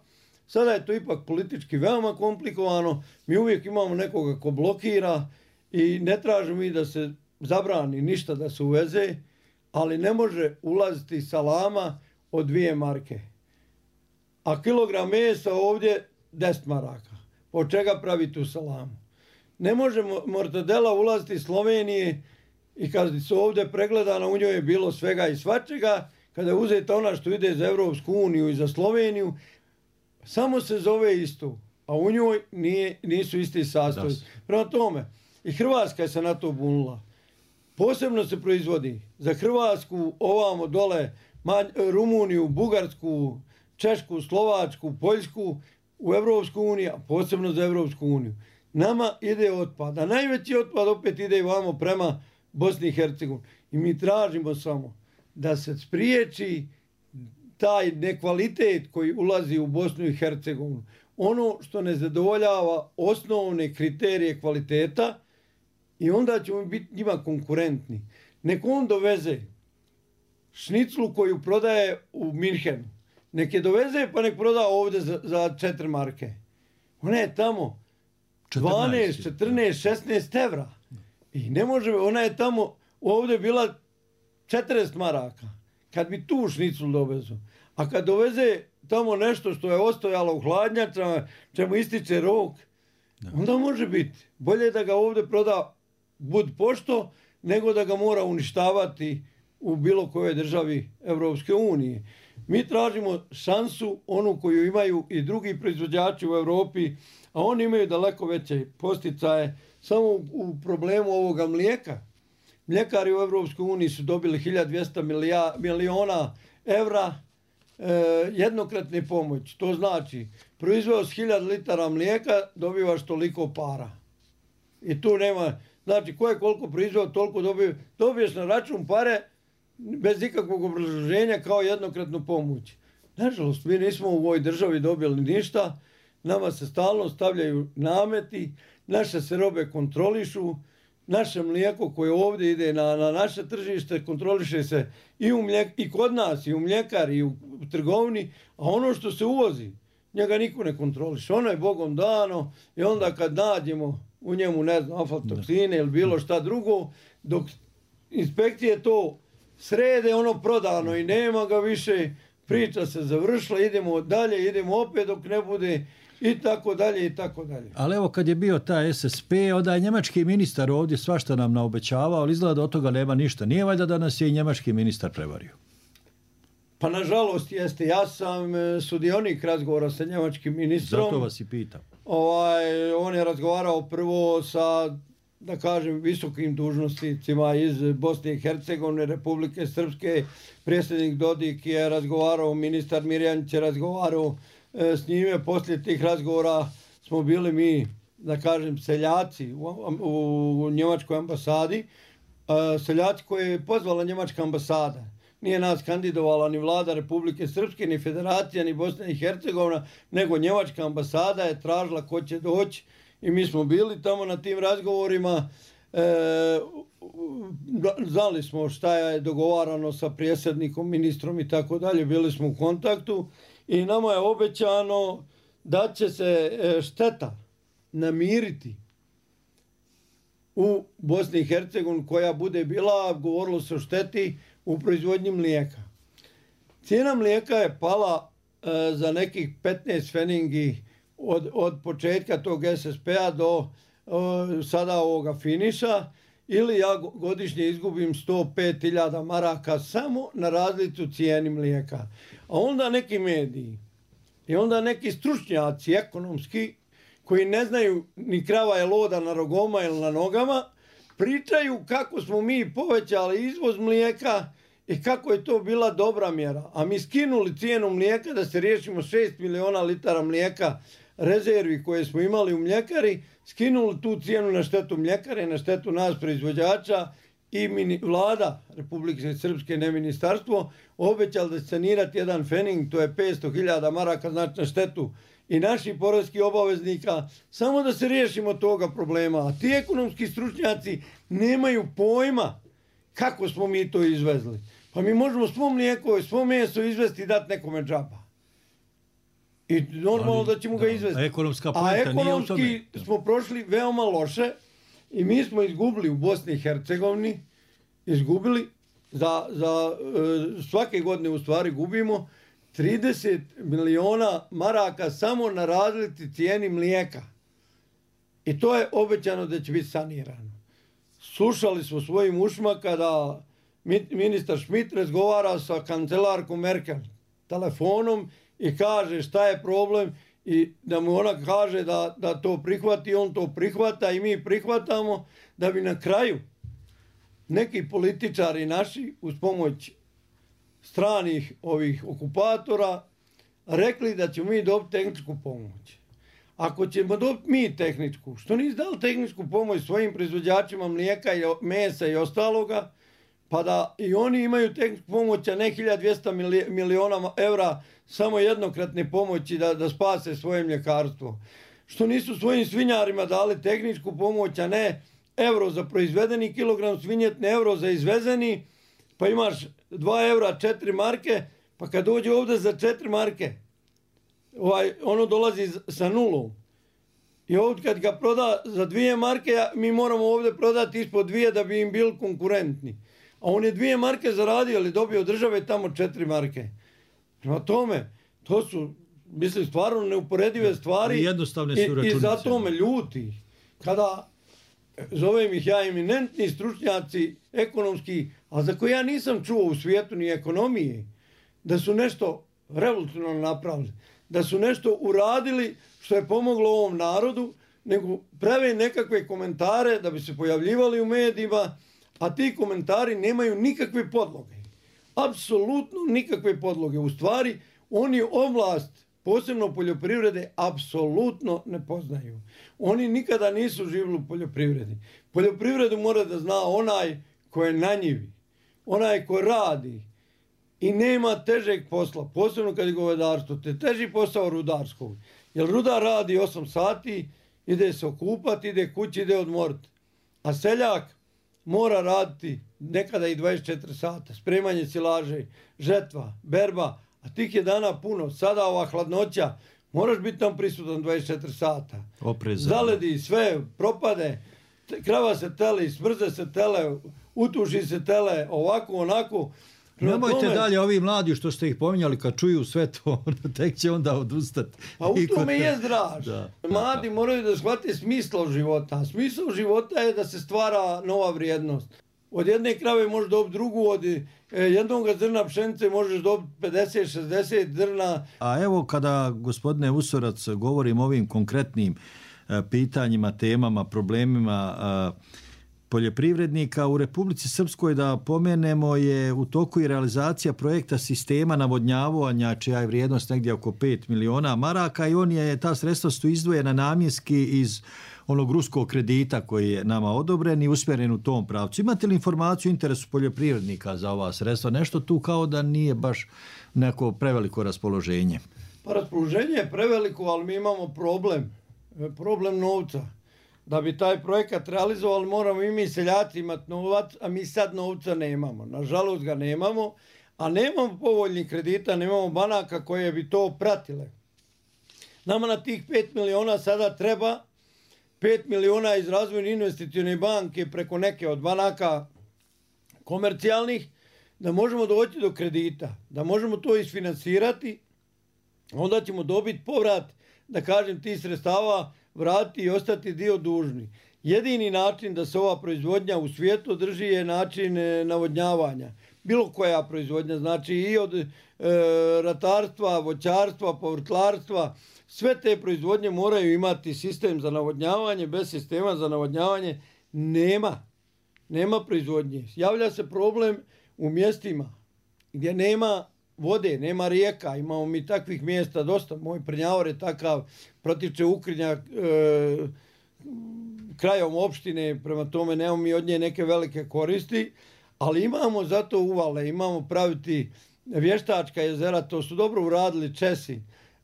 Sada je to ipak politički veoma komplikovano. Mi uvijek imamo nekoga ko blokira i ne tražimo mi da se zabrani ništa da se uveze, ali ne može ulaziti salama od dvije marke. A kilogram mesa ovdje deset maraka. Od čega pravi tu salamu? Ne može mortadela ulaziti iz Slovenije i kad su ovdje pregledana, u njoj je bilo svega i svačega. Kada je uzeta ona što ide za Evropsku uniju i za Sloveniju, samo se zove isto. a u njoj nije, nisu isti sastoji. Prema tome, i Hrvatska se na to bunila. Posebno se proizvodi za Hrvatsku, ovamo dole, Rumuniju, Bugarsku, Češku, Slovačku, Poljsku, u Evropsku uniju, a posebno za Evropsku uniju. Nama ide otpad, a najveći otpad opet ide i vamo prema Bosni i Hercegovini. I mi tražimo samo da se spriječi taj nekvalitet koji ulazi u Bosnu i Hercegovinu. Ono što ne zadovoljava osnovne kriterije kvaliteta i onda ćemo biti njima konkurentni. Nek on doveze šniclu koju prodaje u Minhenu. Nek je doveze pa nek proda ovdje za, za četiri marke. Ona je tamo dvanaest, četrnaest, šesnaest evra. I ne može, ona je tamo ovdje bila četrdeset maraka. Kad bi tu šniclu dovezu. A kad doveze tamo nešto što je ostojalo u hladnjačama, čemu ističe rok, onda može biti. Bolje da ga ovdje proda bud pošto, nego da ga mora uništavati u bilo kojoj državi Evropske unije. Mi tražimo šansu, onu koju imaju i drugi proizvođači u Europi, a oni imaju daleko veće posticaje. Samo u problemu ovoga mlijeka. Mljekari u Evropskoj uniji su dobili hiljadu dvjesto miliona evra e, jednokratne pomoći. To znači, proizveo s hiljadu litara mlijeka, dobivaš toliko para. I tu nema, znači ko je koliko proizveo, toliko dobio, dobiješ na račun pare bez ikakvog obrazloženja kao jednokratnu pomoć. Nažalost, mi nismo u ovoj državi dobili ništa, nama se stalno stavljaju nameti, naše se robe kontrolišu, naše mlijeko koje ovdje ide na, na naše tržište kontroliše se i, u mlijek, i kod nas, i u mljekari, i u trgovini, a ono što se uvozi, njega niko ne kontroliše. Ono je Bogom dano i onda kad nađemo u njemu, ne znam, aflatoksine ili bilo šta drugo, dok inspekcije to srede, ono prodano i nema ga više, priča se završila, idemo dalje, idemo opet dok ne bude i tako dalje i tako dalje. Ali evo kad je bio taj S S P, onda je njemački ministar ovdje svašta nam naobećavao, ali izgleda da od toga nema ništa. Nije valjda da nas je i njemački ministar prevario? Pa nažalost jeste. Ja sam sudionik razgovora sa njemačkim ministrom. Zato vas i pitam. Ovaj, on je razgovarao prvo sa, da kažem, visokim dužnosnicima iz Bosne i Hercegovine, Republike Srpske. Predsjednik Dodik je razgovarao, ministar Mirjanić je razgovarao e, s njime. Poslije tih razgovora smo bili mi, da kažem, seljaci u, u, u njemačkoj ambasadi. E, seljaci koje je pozvala njemačka ambasada. Nije nas kandidovala ni vlada Republike Srpske, ni federacija, ni Bosna i Hercegovina, nego njemačka ambasada je tražila ko će doći i mi smo bili tamo na tim razgovorima. E, znali smo šta je dogovarano sa predsjednikom, ministrom i tako dalje, bili smo u kontaktu i nama je obećano da će se šteta namiriti u Bosni i Hercegovini koja bude bila, govorilo se o šteti u proizvodnji mlijeka. Cijena mlijeka je pala e, za nekih petnaest feningi od, od početka tog S S P-a do e, sada ovoga finiša, ili ja godišnje izgubim sto pet hiljada maraka samo na razliku cijeni mlijeka. A onda neki mediji i onda neki stručnjaci ekonomski koji ne znaju ni krava je loda na rogoma ili na nogama, pričaju kako smo mi povećali izvoz mlijeka i kako je to bila dobra mjera. A mi skinuli cijenu mlijeka da se riješimo šest miliona litara mlijeka rezervi koje smo imali u mljekari, skinuli tu cijenu na štetu mljekare, na štetu nas proizvođača i mini, vlada Republike Srpske, ne ministarstvo, obećali da će sanirati jedan fening, to je petsto hiljada maraka, znači na štetu i naših porezkih obaveznika, samo da se riješimo toga problema. A ti ekonomski stručnjaci nemaju pojma kako smo mi to izvezli. Pa mi možemo svo mlijeko i svo meso izvesti i dati nekome džaba. I normalno da ćemo ga izvesti. A ekonomska A ekonomski smo prošli veoma loše i mi smo izgubili u Bosni i Hercegovini, izgubili, za, za svake godine u stvari gubimo trideset miliona maraka samo na razlici cijeni mlijeka. I to je obećano da će biti sanirano. Slušali smo svojim ušima kada ministar Schmidt razgovara sa kancelarkom Merkel telefonom i kaže šta je problem i da mu ona kaže da, da to prihvati, on to prihvata i mi prihvatamo, da bi na kraju neki političari naši uz pomoć stranih ovih okupatora rekli da ćemo mi dobiti tehničku pomoć. Ako ćemo dobiti mi tehničku, što nisi dali tehničku pomoć svojim proizvođačima mlijeka i mesa i ostaloga, pa da i oni imaju tehničku pomoć, a ne hiljadu dvjesto miliona evra samo jednokratne pomoći da, da spase svoje mljekarstvo. Što nisu svojim svinjarima dali tehničku pomoć, a ne euro za proizvedeni kilogram svinjetne, euro za izvezeni, pa imaš dva eura, četiri marke, pa kad dođe ovdje za četiri marke, ovaj, ono dolazi sa nulom. I ovdje kad ga proda za dvije marke, mi moramo ovdje prodati ispod dvije da bi im bili konkurentni. A on je dvije marke zaradio, ali dobio od države tamo četiri marke. Prema tome, to su, mislim, stvarno neuporedive stvari. I jednostavne su računice. I zato me ljuti. Kada zovem ih ja eminentni stručnjaci ekonomski, a za koje ja nisam čuo u svijetu ni ekonomije, da su nešto revolucionarno napravili, da su nešto uradili što je pomoglo ovom narodu, nego prave nekakve komentare da bi se pojavljivali u medijima, a ti komentari nemaju nikakve podloge. Apsolutno nikakve podloge. U stvari, oni oblast, posebno poljoprivrede, apsolutno ne poznaju. Oni nikada nisu živjeli u poljoprivredi. Poljoprivredu mora da zna onaj ko je na njivi, onaj ko radi i nema težeg posla, posebno kad je govedarstvo, te teži posao rudarskog. Jer rudar radi osam sati, ide se okupati, ide kući, ide odmoriti. A seljak mora raditi nekada i dvadeset četiri sata, spremanje silaže, žetva, berba, a tih je dana puno. Sada ova hladnoća, moraš biti tam prisutan dvadeset četiri sata. Oprezan. Zaledi sve, propade, krava se tele, smrze se tele, utuši se tele, ovako, onako. Nemojte tome, dalje, ovi mladi što ste ih pominjali, kad čuju sve to, tek će onda odustati. Pa u tome je draž. Da, mladi da. moraju da shvate smisla života. Smisao života je da se stvara nova vrijednost. Od jedne krave možeš dobiti drugu, od jednog zrna pšenice možeš dobiti pedeset šezdeset zrna. A evo kada, gospodine Usorac, govorim o ovim konkretnim uh, pitanjima, temama, problemima uh, poljoprivrednika u Republici Srpskoj, da pomenemo, je u toku i realizacija projekta sistema navodnjavanja, čija je vrijednost negdje oko pet miliona maraka, i on je, ta sredstva su izdvojena namjenski iz onog ruskog kredita koji je nama odobren i usmjeren u tom pravcu. Imate li informaciju o interesu poljoprivrednika za ova sredstva? Nešto tu kao da nije baš neko preveliko raspoloženje. Pa raspoloženje je preveliko, ali mi imamo problem. Problem novca. Da bi taj projekat realizovali, moramo i mi seljaci imati novac, a mi sad novca nemamo. Nažalost ga nemamo, a nemamo povoljnih kredita, nemamo banaka koje bi to pratile. Nama na tih pet miliona sada treba pet miliona iz razvojne investicione banke preko neke od banaka komercijalnih, da možemo doći do kredita, da možemo to isfinansirati, onda ćemo dobiti povrat, da kažem, tih sredstava, vratiti i ostati dio dužni. Jedini način da se ova proizvodnja u svijetu drži je način navodnjavanja. Bilo koja proizvodnja, znači i od e, ratarstva, voćarstva, povrtlarstva, sve te proizvodnje moraju imati sistem za navodnjavanje. Bez sistema za navodnjavanje nema. Nema proizvodnje. Javlja se problem u mjestima gdje nema vode, nema rijeka, imamo mi takvih mjesta dosta, moj Prnjavor je takav, protiče Ukrinja e, krajom opštine, prema tome nemamo mi od nje neke velike koristi, ali imamo zato uvale, imamo praviti vještačka jezera, to su dobro uradili Česi,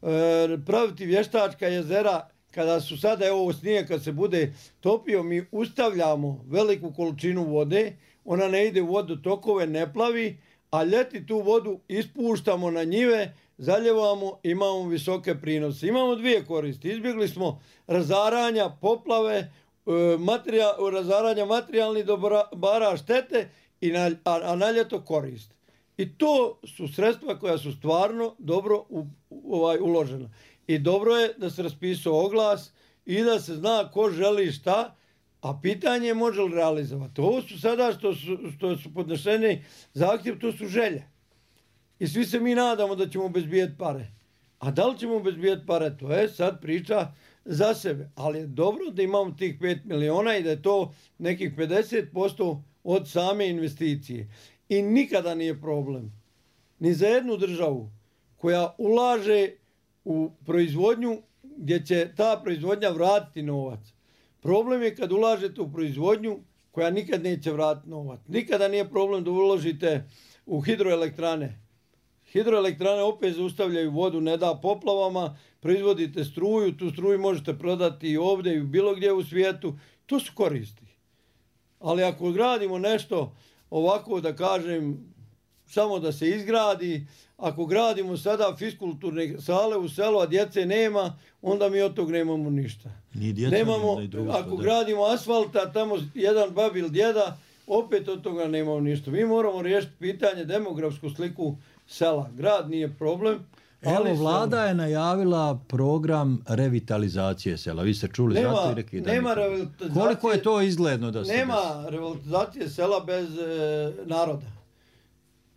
e, praviti vještačka jezera, kada su sada, evo snije, kad se bude topio, mi ustavljamo veliku količinu vode, ona ne ide u vodotokove, ne plavi, a ljeti tu vodu ispuštamo na njive, zaljevamo, imamo visoke prinose. Imamo dvije koristi. Izbjegli smo razaranja, poplave, materija, razaranja materijalnih dobara, štete, i na, a, a na ljeto korist. I to su sredstva koja su stvarno dobro u, u, ovaj, uložena. I dobro je da se raspisao oglas i da se zna ko želi šta, a pitanje je može li realizovati. Ovo su sada što su, što su podnešeni zahtjev, to su želje. I svi se mi nadamo da ćemo obezbijeti pare. A da li ćemo obezbijeti pare? To je sad priča za sebe. Ali je dobro da imamo tih pet miliona i da je to nekih pedeset posto od same investicije. I nikada nije problem ni za jednu državu koja ulaže u proizvodnju gdje će ta proizvodnja vratiti novac. Problem je kad ulažete u proizvodnju koja nikad neće vratiti novac. Nikada nije problem da uložite u hidroelektrane. Hidroelektrane opet zaustavljaju vodu, ne da poplavama, proizvodite struju, tu struju možete prodati i ovdje i bilo gdje u svijetu. To su koristi. Ali ako gradimo nešto ovako, da kažem, samo da se izgradi, ako gradimo sada fiskulturne sale u selu, a djece nema, onda mi od tog nemamo ništa. Ni djeca, nemamo, ni drugo, ako da. Gradimo asfalta, tamo jedan babil djeda, opet od toga nemamo ništa. Mi moramo riješiti pitanje, demografsku sliku sela. Grad nije problem. Evo, vlada je najavila program revitalizacije sela. Vi ste čuli nema, zato i rekli da nema revitalizacije. Koliko je to izgledno da se nema desi? revitalizacije sela bez e, naroda.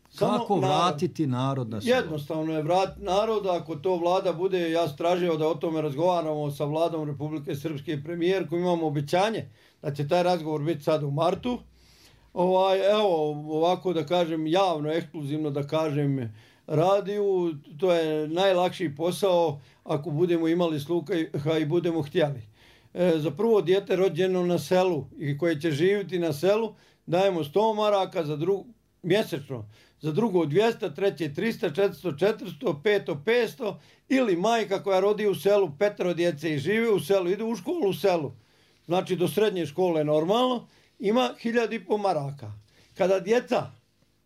Samo Kako vratiti narod na selo? Jednostavno je vratiti naroda, ako to vlada bude, ja sam tražio da o tome razgovaramo sa vladom Republike Srpske i premijerkom, imamo obećanje da će taj razgovor biti sad u martu. Ovaj, evo, ovako da kažem, javno, ekskluzivno da kažem, radiju, to je najlakši posao ako budemo imali sluha i budemo htjeli. E, za prvo dijete rođeno na selu i koje će živjeti na selu dajemo sto maraka za drugo, mjesečno, za drugo dvjesto, treće tristo, četiristo, četiristo, peto petsto ili majka koja rodi u selu petero djece i živi u selu, ide u školu u selu, znači do srednje škole normalno, ima hiljadu i pol maraka. Kada djeca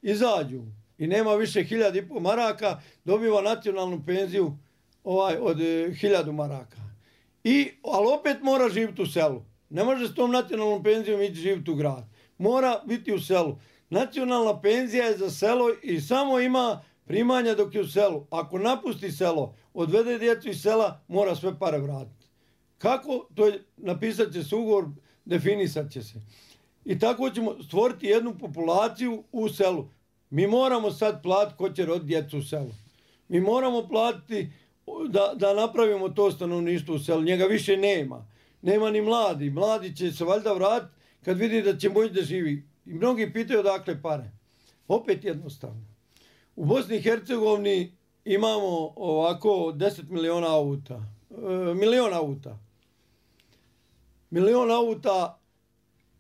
izađu i nema više hiljadu i pol maraka, dobiva nacionalnu penziju ovaj, od e, hiljadu maraka. I, ali opet mora živjeti u selu. Ne može s tom nacionalnom penzijom ići živjeti u grad. Mora biti u selu. Nacionalna penzija je za selo i samo ima primanja dok je u selu. Ako napusti selo, odvede djecu iz sela, mora sve pare vratiti. Kako? To je, napisat će se ugovor, definisat će se. I tako ćemo stvoriti jednu populaciju u selu. Mi moramo sad platiti ko će roditi djecu u selu. Mi moramo platiti da, da napravimo to stanovništvo u selu. Njega više nema. Nema ni mladi. Mladi će se valjda vratiti kad vidi da će moći da živi. I mnogi pitaju odakle pare. Opet jednostavno. U Bosni i Hercegovini imamo ovako deset miliona auta. E, milion auta. Milion auta,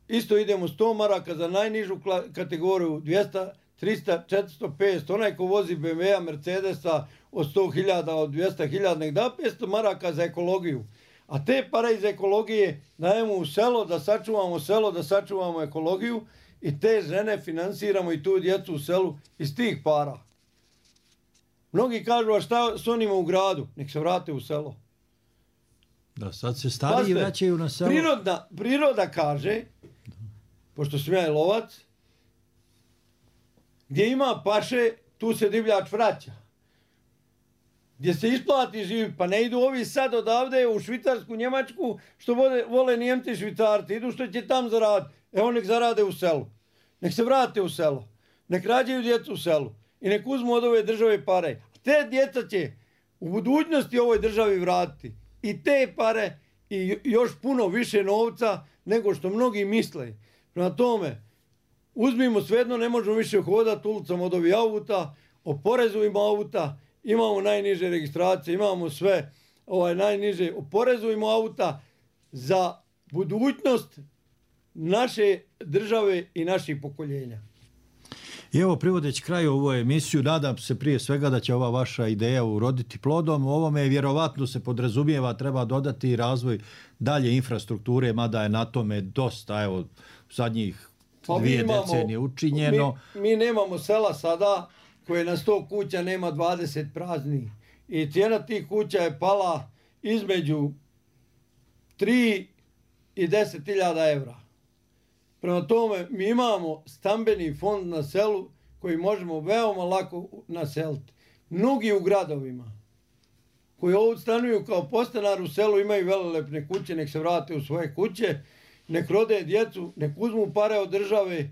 isto idemo sto maraka za najnižu kategoriju, dvjesto, tristo, četiristo, petsto. Onaj ko vozi be em ve-a, Mercedesa od sto hiljada, od dvjesto hiljada, nek da petsto maraka za ekologiju. A te pare iz ekologije dajemo u selo, da sačuvamo selo, da sačuvamo ekologiju i te žene finansiramo i tu djecu u selu iz tih para. Mnogi kažu, a šta s onima u gradu? Nek se vrate u selo. Da, sad se stariji vraćaju na selo. Priroda, priroda kaže, pošto sam ja lovac, gdje ima paše, tu se divljač vraća. Gdje se isplati živi, pa ne idu ovi sad odavde u Švicarsku, Njemačku, što vole, vole Nijemci, Švicarci, idu što će tam zaraditi. Evo nek zarade u selu. Nek se vrate u selo. Nek rađaju djecu u selu. I nek uzmu od ove države pare. Te djeca će u budućnosti ovoj državi vratiti. I te pare i još puno više novca nego što mnogi misle. Prema tome, uzmimo svejedno, ne možemo više hodati ulicom od ovih auta, oporezujemo auta, imamo najniže registracije, imamo sve ovaj najniže, oporezujemo auta za budućnost naše države i naših pokoljenja. I evo, privodeći kraju ovu emisiju, nadam se prije svega da će ova vaša ideja uroditi plodom. U ovome vjerovatno se podrazumijeva, treba dodati razvoj dalje infrastrukture, mada je na tome dosta, evo, zadnjih pa dvije imamo, decenije učinjeno. Mi, mi nemamo sela sada koje na sto kuća nema dvadeset prazni. I cijena tih kuća je pala između tri i deset hiljada evra. Prema tome, mi imamo stambeni fond na selu koji možemo veoma lako naseliti. Mnogi u gradovima koji ovdje stanuju kao podstanar u selu imaju velelepne kuće, nek se vrate u svoje kuće, nek rode djecu, nek uzmu pare od države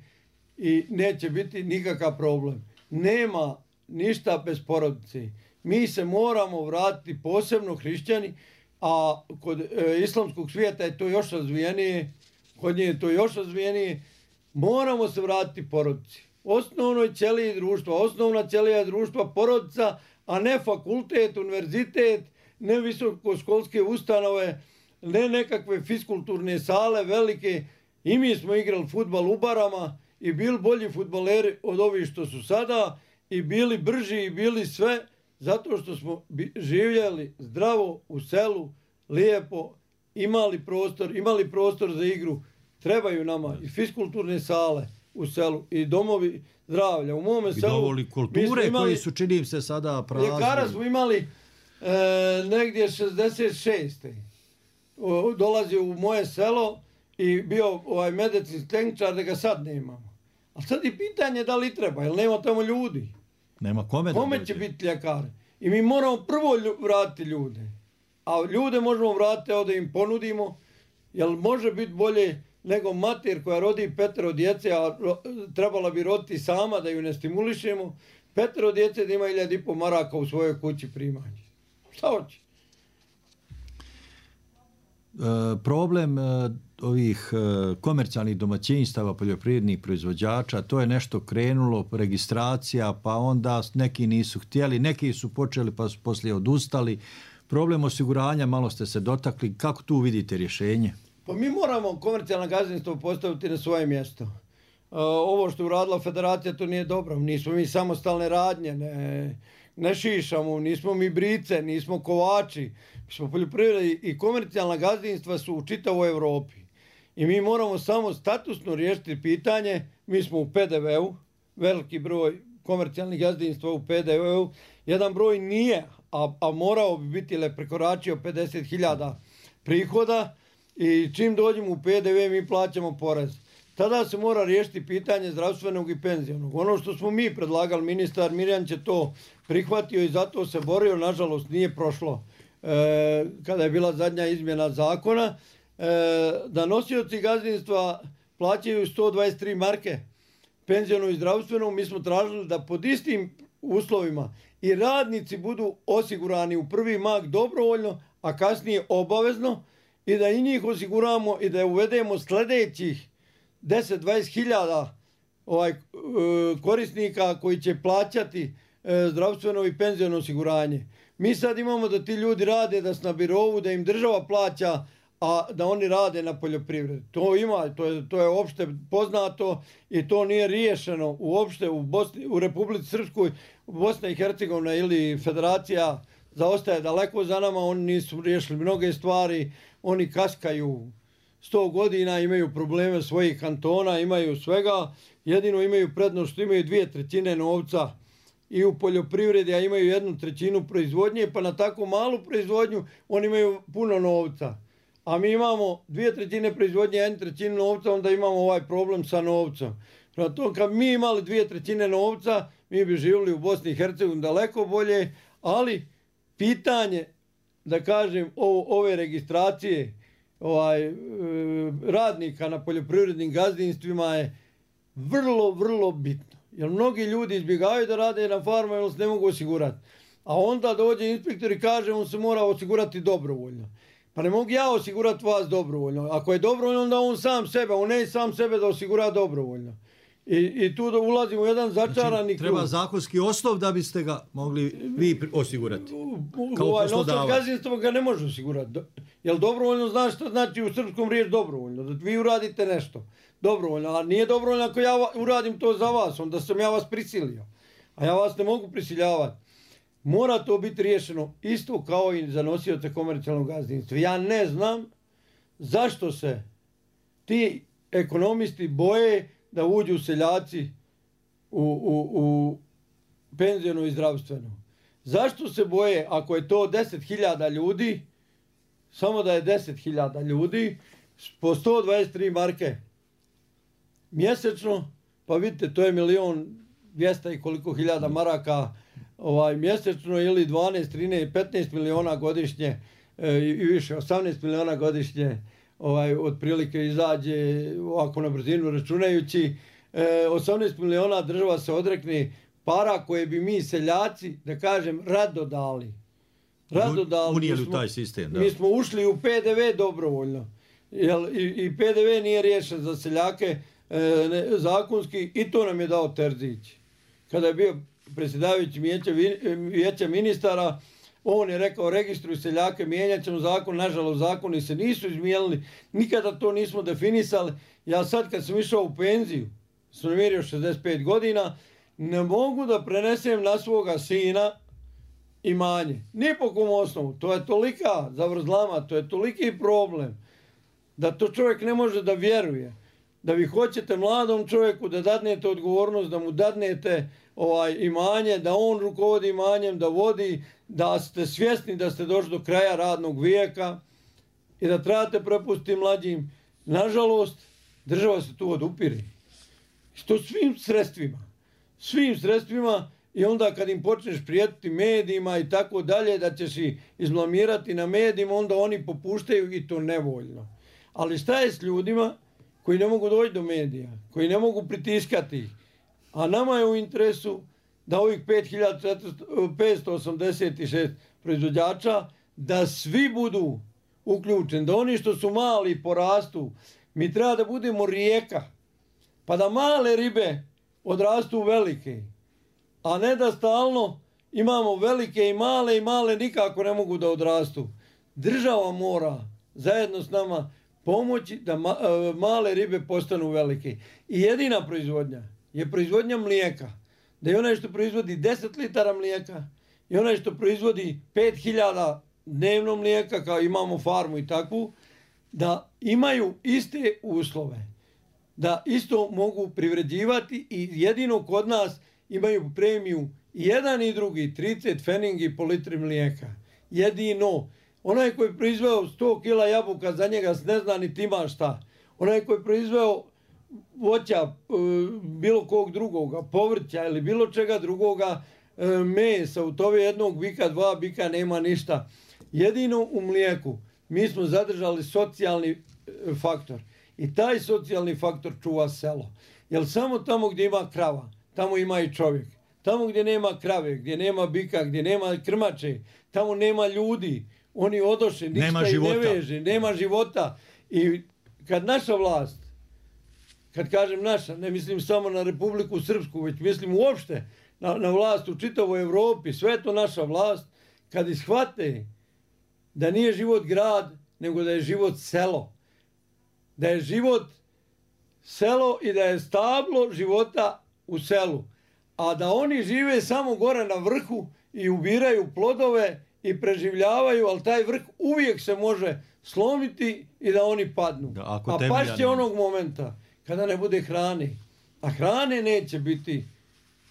i neće biti nikakav problem. Nema ništa bez porodice. mi se moramo vratiti, posebno hrišćani, a kod e, islamskog svijeta je to još razvijenije, kod nje je to još razvijenije, moramo se vratiti porodici. Osnovnoj ćeliji društva, osnovna ćelija društva porodica, a ne fakultet, univerzitet, ne visokoškolske ustanove, ne nekakve fiskulturne sale velike. I mi smo igrali fudbal u barama i bili bolji fudbaleri od ovih što su sada i bili brži i bili sve zato što smo živjeli zdravo u selu, lijepo, imali prostor, imali prostor za igru. Trebaju nama i fiskulturne sale u selu i domovi zdravlja. U mome I selu dovoli kulture imali, koji su, čini se, sada prazni. Ljekara smo imali e, negdje šezdeset šeste O, dolazio u moje selo i bio ovaj medicinski tehničar, da ga sad nemamo. A sad je pitanje da li treba, jer nema tamo ljudi. Nema kome da Kome će biti ljekar? I mi moramo prvo lju, vratiti ljude. A ljude možemo vratiti da im ponudimo, jer može biti bolje nego mater koja rodi petero djece, a ro, trebala bi roditi sama da ju ne stimulišemo. Petero djece da ima hiljadu i po maraka u svojoj kući primanje. Šta hoće? E, problem e, ovih e, komercijalnih domaćinstava, poljoprivrednih proizvođača, to je nešto krenulo, registracija, pa onda neki nisu htjeli, neki su počeli pa su poslije odustali. Problem osiguranja, malo ste se dotakli, kako tu vidite rješenje? Pa mi moramo komercijalno gazdinstvo postaviti na svoje mjesto. E, ovo što je uradila federacija, to nije dobro. Nismo mi samostalne radnje, ne, ne šišamo, nismo mi brice, nismo kovači. Mi smo poljoprivredi i komercijalna gazdinstva su u čitavoj Europi. I mi moramo samo statusno riješiti pitanje. Mi smo u P D V-u, veliki broj komercijalnih gazdinstva u P D V-u. Jedan broj nije, a, a morao bi biti ili prekoračio pedeset hiljada prihoda. I čim dođemo u P D V mi plaćamo porez. Tada se mora riješiti pitanje zdravstvenog i penzionog. Ono što smo mi predlagali, ministar Mirjan će to prihvatio i zato se borio, nažalost nije prošlo. E, kada je bila zadnja izmjena zakona, e, da nosioci gazdinstva plaćaju sto dvadeset tri marke penzionom i zdravstvenom, mi smo tražili da pod istim uslovima i radnici budu osigurani u prvi mak dobrovoljno, a kasnije obavezno, i da i njih osiguramo i da uvedemo sljedećih deset do dvadeset hiljada ovaj, korisnika koji će plaćati zdravstveno i penziono osiguranje. Mi sad imamo da ti ljudi rade, da su na birovu, da im država plaća, a da oni rade na poljoprivredi. To ima, to je, to je opšte poznato i to nije riješeno uopšte u, Bosni, u Republici Srpskoj, Bosna i Hercegovina ili Federacija zaostaje daleko za nama, oni nisu riješili mnoge stvari, oni kaskaju sto godina, imaju probleme svojih kantona, imaju svega, jedino imaju prednost što imaju dvije trećine novca i u poljoprivredi, a imaju jednu trećinu proizvodnje, pa na tako malu proizvodnju oni imaju puno novca. A mi imamo dvije trećine proizvodnje, jednu trećinu novca, onda imamo ovaj problem sa novcem. Prema to, kad mi imali dvije trećine novca, mi bi živjeli u Bosni i Hercegovini daleko bolje, ali pitanje, da kažem, o, ove registracije ovaj, radnika na poljoprivrednim gazdinstvima je vrlo, vrlo bitno. Jer mnogi ljudi izbjegavaju da rade na farmu jer se ne mogu osigurati. A onda dođe inspektor i kaže on se mora osigurati dobrovoljno. Pa ne mogu ja osigurati vas dobrovoljno. Ako je dobrovoljno, onda on sam sebe, on ne sam sebe da osigura dobrovoljno. I, i tu da ulazimo u jedan začarani znači, treba krug. Zakonski osnov da biste ga mogli vi osigurati. Kao ovaj, poslodavac. Gazdinstvo ga ne može osigurati. Jel dobrovoljno znaš što znači u srpskom riječ dobrovoljno? Da vi uradite nešto dobrovoljno. A nije dobrovoljno ako ja uradim to za vas, onda sam ja vas prisilio. A ja vas ne mogu prisiljavati. Mora to biti riješeno isto kao i za nosioce komercijalnog gazdinstva. Ja ne znam zašto se ti ekonomisti boje da uđu seljaci u, u, u penzijonu i zdravstvenu. Zašto se boje, ako je to deset hiljada ljudi, samo da je deset hiljada ljudi, po sto dvadeset tri marke mjesečno, pa vidite, to je milion dvjesto i koliko hiljada maraka ovaj, mjesečno, ili dvanaest, trinaest, petnaest miliona godišnje e, i više, osamnaest miliona godišnje, ovaj, otprilike izađe ovako na brzinu računajući, e, osamnaest miliona država se odrekne para koje bi mi seljaci, da kažem, rado dali. Rado dali. Unijeli u taj sistem, da. Mi smo ušli u P D V dobrovoljno. Jel, i, i P D V nije riješen za seljake e, ne, zakonski i to nam je dao Terzić. Kada je bio predsjedavajući vijeća, vijeća ministara, on je rekao registruj seljake, mijenjat ćemo zakon, nažalost zakoni se nisu izmijenili, nikada to nismo definisali. Ja sad kad sam išao u penziju, sam namirio šezdeset pet godina, ne mogu da prenesem na svoga sina imanje. Ni po kom osnovu. To je tolika zavrzlama, to je toliki problem da to čovjek ne može da vjeruje. Da vi hoćete mladom čovjeku da dadnete odgovornost, da mu dadnete ovaj, imanje, da on rukovodi imanjem, da vodi, da ste svjesni da ste došli do kraja radnog vijeka i da trebate prepustiti mlađim. Nažalost, država se tu odupire. Što svim sredstvima. Svim sredstvima i onda kad im počneš prijetiti medijima i tako dalje, da ćeš ih izblamirati na medijima, onda oni popuštaju i to nevoljno. Ali šta je s ljudima koji ne mogu doći do medija, koji ne mogu pritiskati ih? A nama je u interesu da ovih pet hiljada petsto osamdeset šest proizvođača, da svi budu uključeni, da oni što su mali porastu. Mi treba da budemo rijeka, pa da male ribe odrastu velike, a ne da stalno imamo velike i male i male nikako ne mogu da odrastu. Država mora zajedno s nama pomoći da ma, male ribe postanu velike. I jedina proizvodnja je proizvodnja mlijeka. Da je onaj što proizvodi deset litara mlijeka i onaj što proizvodi pet hiljada dnevno mlijeka, kao imamo farmu i takvu, da imaju iste uslove. Da isto mogu privređivati i jedino kod nas imaju premiju jedan i drugi, trideset feningi po litri mlijeka. Jedino. Onaj koji je proizveo sto kila jabuka, za njega se ne zna niti ima šta. Onaj koji je proizveo voća, bilo kog drugoga, povrća ili bilo čega drugoga, mesa, u tove jednog bika, dva bika nema ništa. Jedino u mlijeku mi smo zadržali socijalni faktor. I taj socijalni faktor čuva selo. Jer samo tamo gdje ima krava, tamo ima i čovjek. Tamo gdje nema krave, gdje nema bika, gdje nema krmače, tamo nema ljudi. Oni odoše, ništa ih ne veže, nema života. I kad naša vlast, kad kažem naša, ne mislim samo na Republiku Srpsku, već mislim uopšte na, na vlast u čitavoj Evropi, sve je to naša vlast, kad ishvate da nije život grad, nego da je život selo. Da je život selo i da je stablo života u selu. A da oni žive samo gore na vrhu i ubiraju plodove i preživljavaju, ali taj vrh uvijek se može slomiti i da oni padnu. Da, a pašće onog momenta kada ne bude hrane. A hrane neće biti.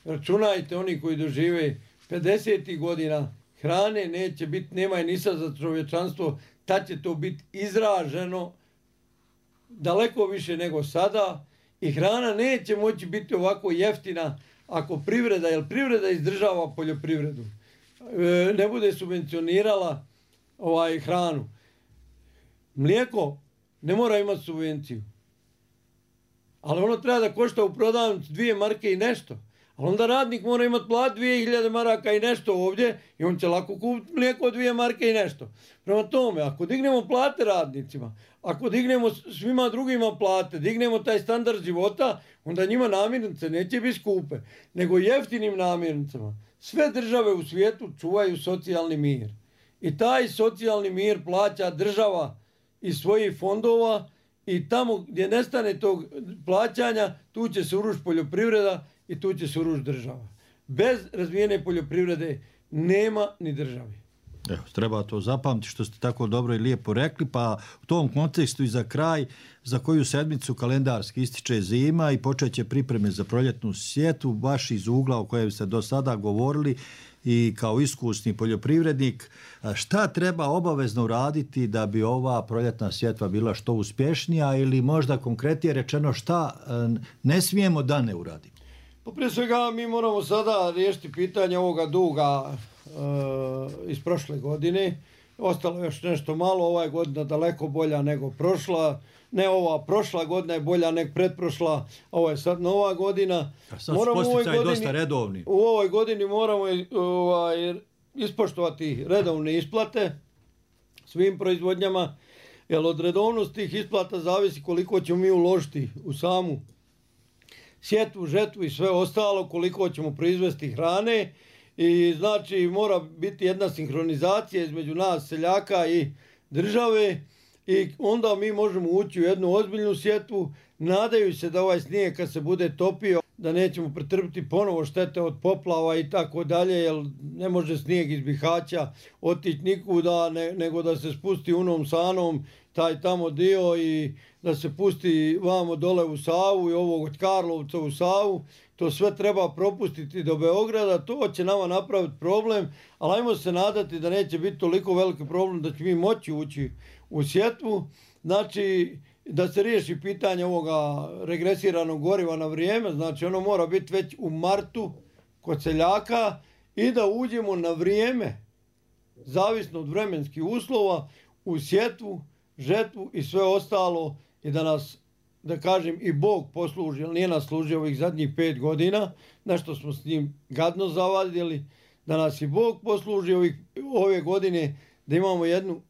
Računajte, oni koji dožive pedeset godina, hrane neće biti, nema je ni sad za čovječanstvo, tad će to biti izraženo daleko više nego sada i hrana neće moći biti ovako jeftina ako privreda, jer privreda izdržava poljoprivredu, ne bude subvencionirala ovaj hranu. Mlijeko ne mora imati subvenciju, ali ono treba da košta u prodavnici dvije marke i nešto. Ali onda radnik mora imati plat dvije hiljade maraka i nešto ovdje i on će lako kupiti mlijeko od dvije marke i nešto. Prema tome, ako dignemo plate radnicima, ako dignemo svima drugima plate, dignemo taj standard života, onda njima namirnice neće biti skupe, nego jeftinim namirnicama. Sve države u svijetu čuvaju socijalni mir. I taj socijalni mir plaća država iz svojih fondova i tamo gdje nestane tog plaćanja, tu će se urušiti poljoprivreda i tu će se urušiti država. Bez razvijene poljoprivrede nema ni države. Evo, treba to zapamtiti što ste tako dobro i lijepo rekli, pa u tom kontekstu i za kraj, za koju sedmicu kalendarski ističe zima i počeće pripreme za proljetnu sjetvu, baš iz ugla o kojem ste do sada govorili i kao iskusni poljoprivrednik, šta treba obavezno uraditi da bi ova proljetna sjetva bila što uspješnija ili možda konkretnije rečeno šta ne smijemo da ne uradimo? Pa prije svega mi moramo sada riješiti pitanje ovoga duga e, iz prošle godine. Ostalo još nešto malo, ova je godina daleko bolja nego prošla. ne ova prošla godina je bolja nek pretprošla, ovo je sad nova godina. A sad moramo su posticaji dosta redovni. U ovoj godini moramo ovaj, ispoštovati redovne isplate svim proizvodnjama, jer od redovnosti tih isplata zavisi koliko ćemo mi uložiti u samu sjetvu, žetvu i sve ostalo, koliko ćemo proizvesti hrane. I znači mora biti jedna sinhronizacija između nas seljaka i države i onda mi možemo ući u jednu ozbiljnu sjetvu, nadaju se da ovaj snijeg kad se bude topio da nećemo pretrpiti ponovo štete od poplava i tako dalje, jer ne može snijeg iz Bihaća otići nikuda, ne, nego da se spusti unom sanom taj tamo dio i da se pusti vamo dole u Savu i ovog od Karlovca u Savu. To sve treba propustiti do Beograda, to će nama napraviti problem, ali ajmo se nadati da neće biti toliko veliki problem da će mi moći ući u sjetvu. Znači, da se riješi pitanje ovoga regresiranog goriva na vrijeme, znači ono mora biti već u martu kod seljaka i da uđemo na vrijeme, zavisno od vremenskih uslova, u sjetvu, žetvu i sve ostalo i da nas, da kažem, i Bog posluži, jer nije nas služio ovih zadnjih pet godina, nešto smo s njim gadno zavadili, da nas i Bog posluži ovih, ove godine, da imamo jednu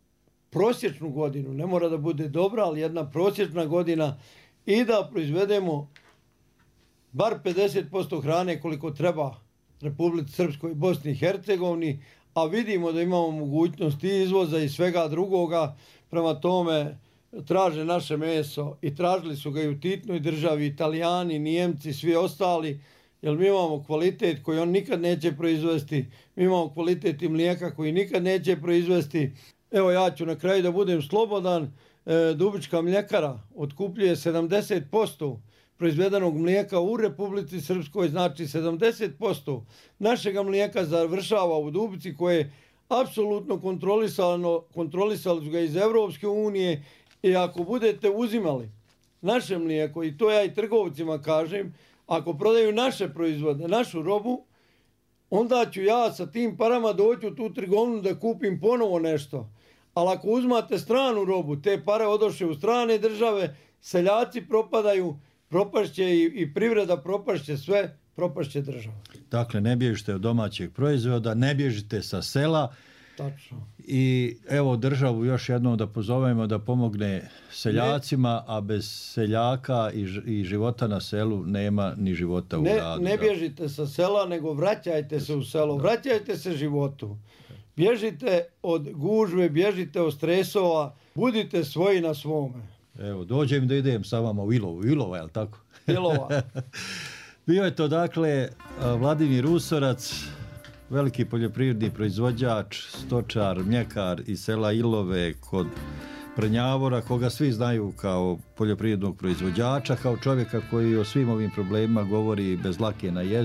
prosječnu godinu, ne mora da bude dobra, ali jedna prosječna godina i da proizvedemo bar pedeset posto hrane koliko treba Republici Srpskoj i Bosni i Hercegovini, a vidimo da imamo mogućnost i izvoza i svega drugoga, prema tome traže naše meso i tražili su ga i u Titnoj državi, Italijani, Nijemci, svi ostali, jer mi imamo kvalitet koji on nikad neće proizvesti, mi imamo kvalitet i mlijeka koji nikad neće proizvesti. Evo ja ću na kraju da budem slobodan, e, Dubička mljekara otkupljuje sedamdeset posto proizvedenog mlijeka u Republici Srpskoj, znači sedamdeset posto našega mlijeka završava u Dubici koje je apsolutno kontrolisano, kontrolisali su ga iz Evropske unije i ako budete uzimali naše mlijeko, i to ja i trgovcima kažem, ako prodaju naše proizvode, našu robu, onda ću ja sa tim parama doći u tu trgovinu da kupim ponovo nešto. Ali ako uzmate stranu robu, te pare odoše u strane države, seljaci propadaju, propašće i, i privreda propašće sve, propašće država. Dakle, ne bježite od domaćeg proizvoda, ne bježite sa sela. Tačno. I evo državu još jednom da pozovemo da pomogne seljacima, a bez seljaka i, i života na selu nema ni života u ne, gradu. Ne bježite sa sela, nego vraćajte se u selo, vraćajte se životu. Bježite od gužve, bježite od stresova, budite svoji na svome. Evo, dođem da idem sa vama u Ilovu. Ilova, je li tako? Ilova. Bio je to, dakle, Vladimir Usorac, veliki poljoprivredni proizvođač, stočar, mljekar iz sela Ilove kod Prnjavora, koga svi znaju kao poljoprivrednog proizvođača, kao čovjeka koji o svim ovim problemima govori bez lake na jeziku.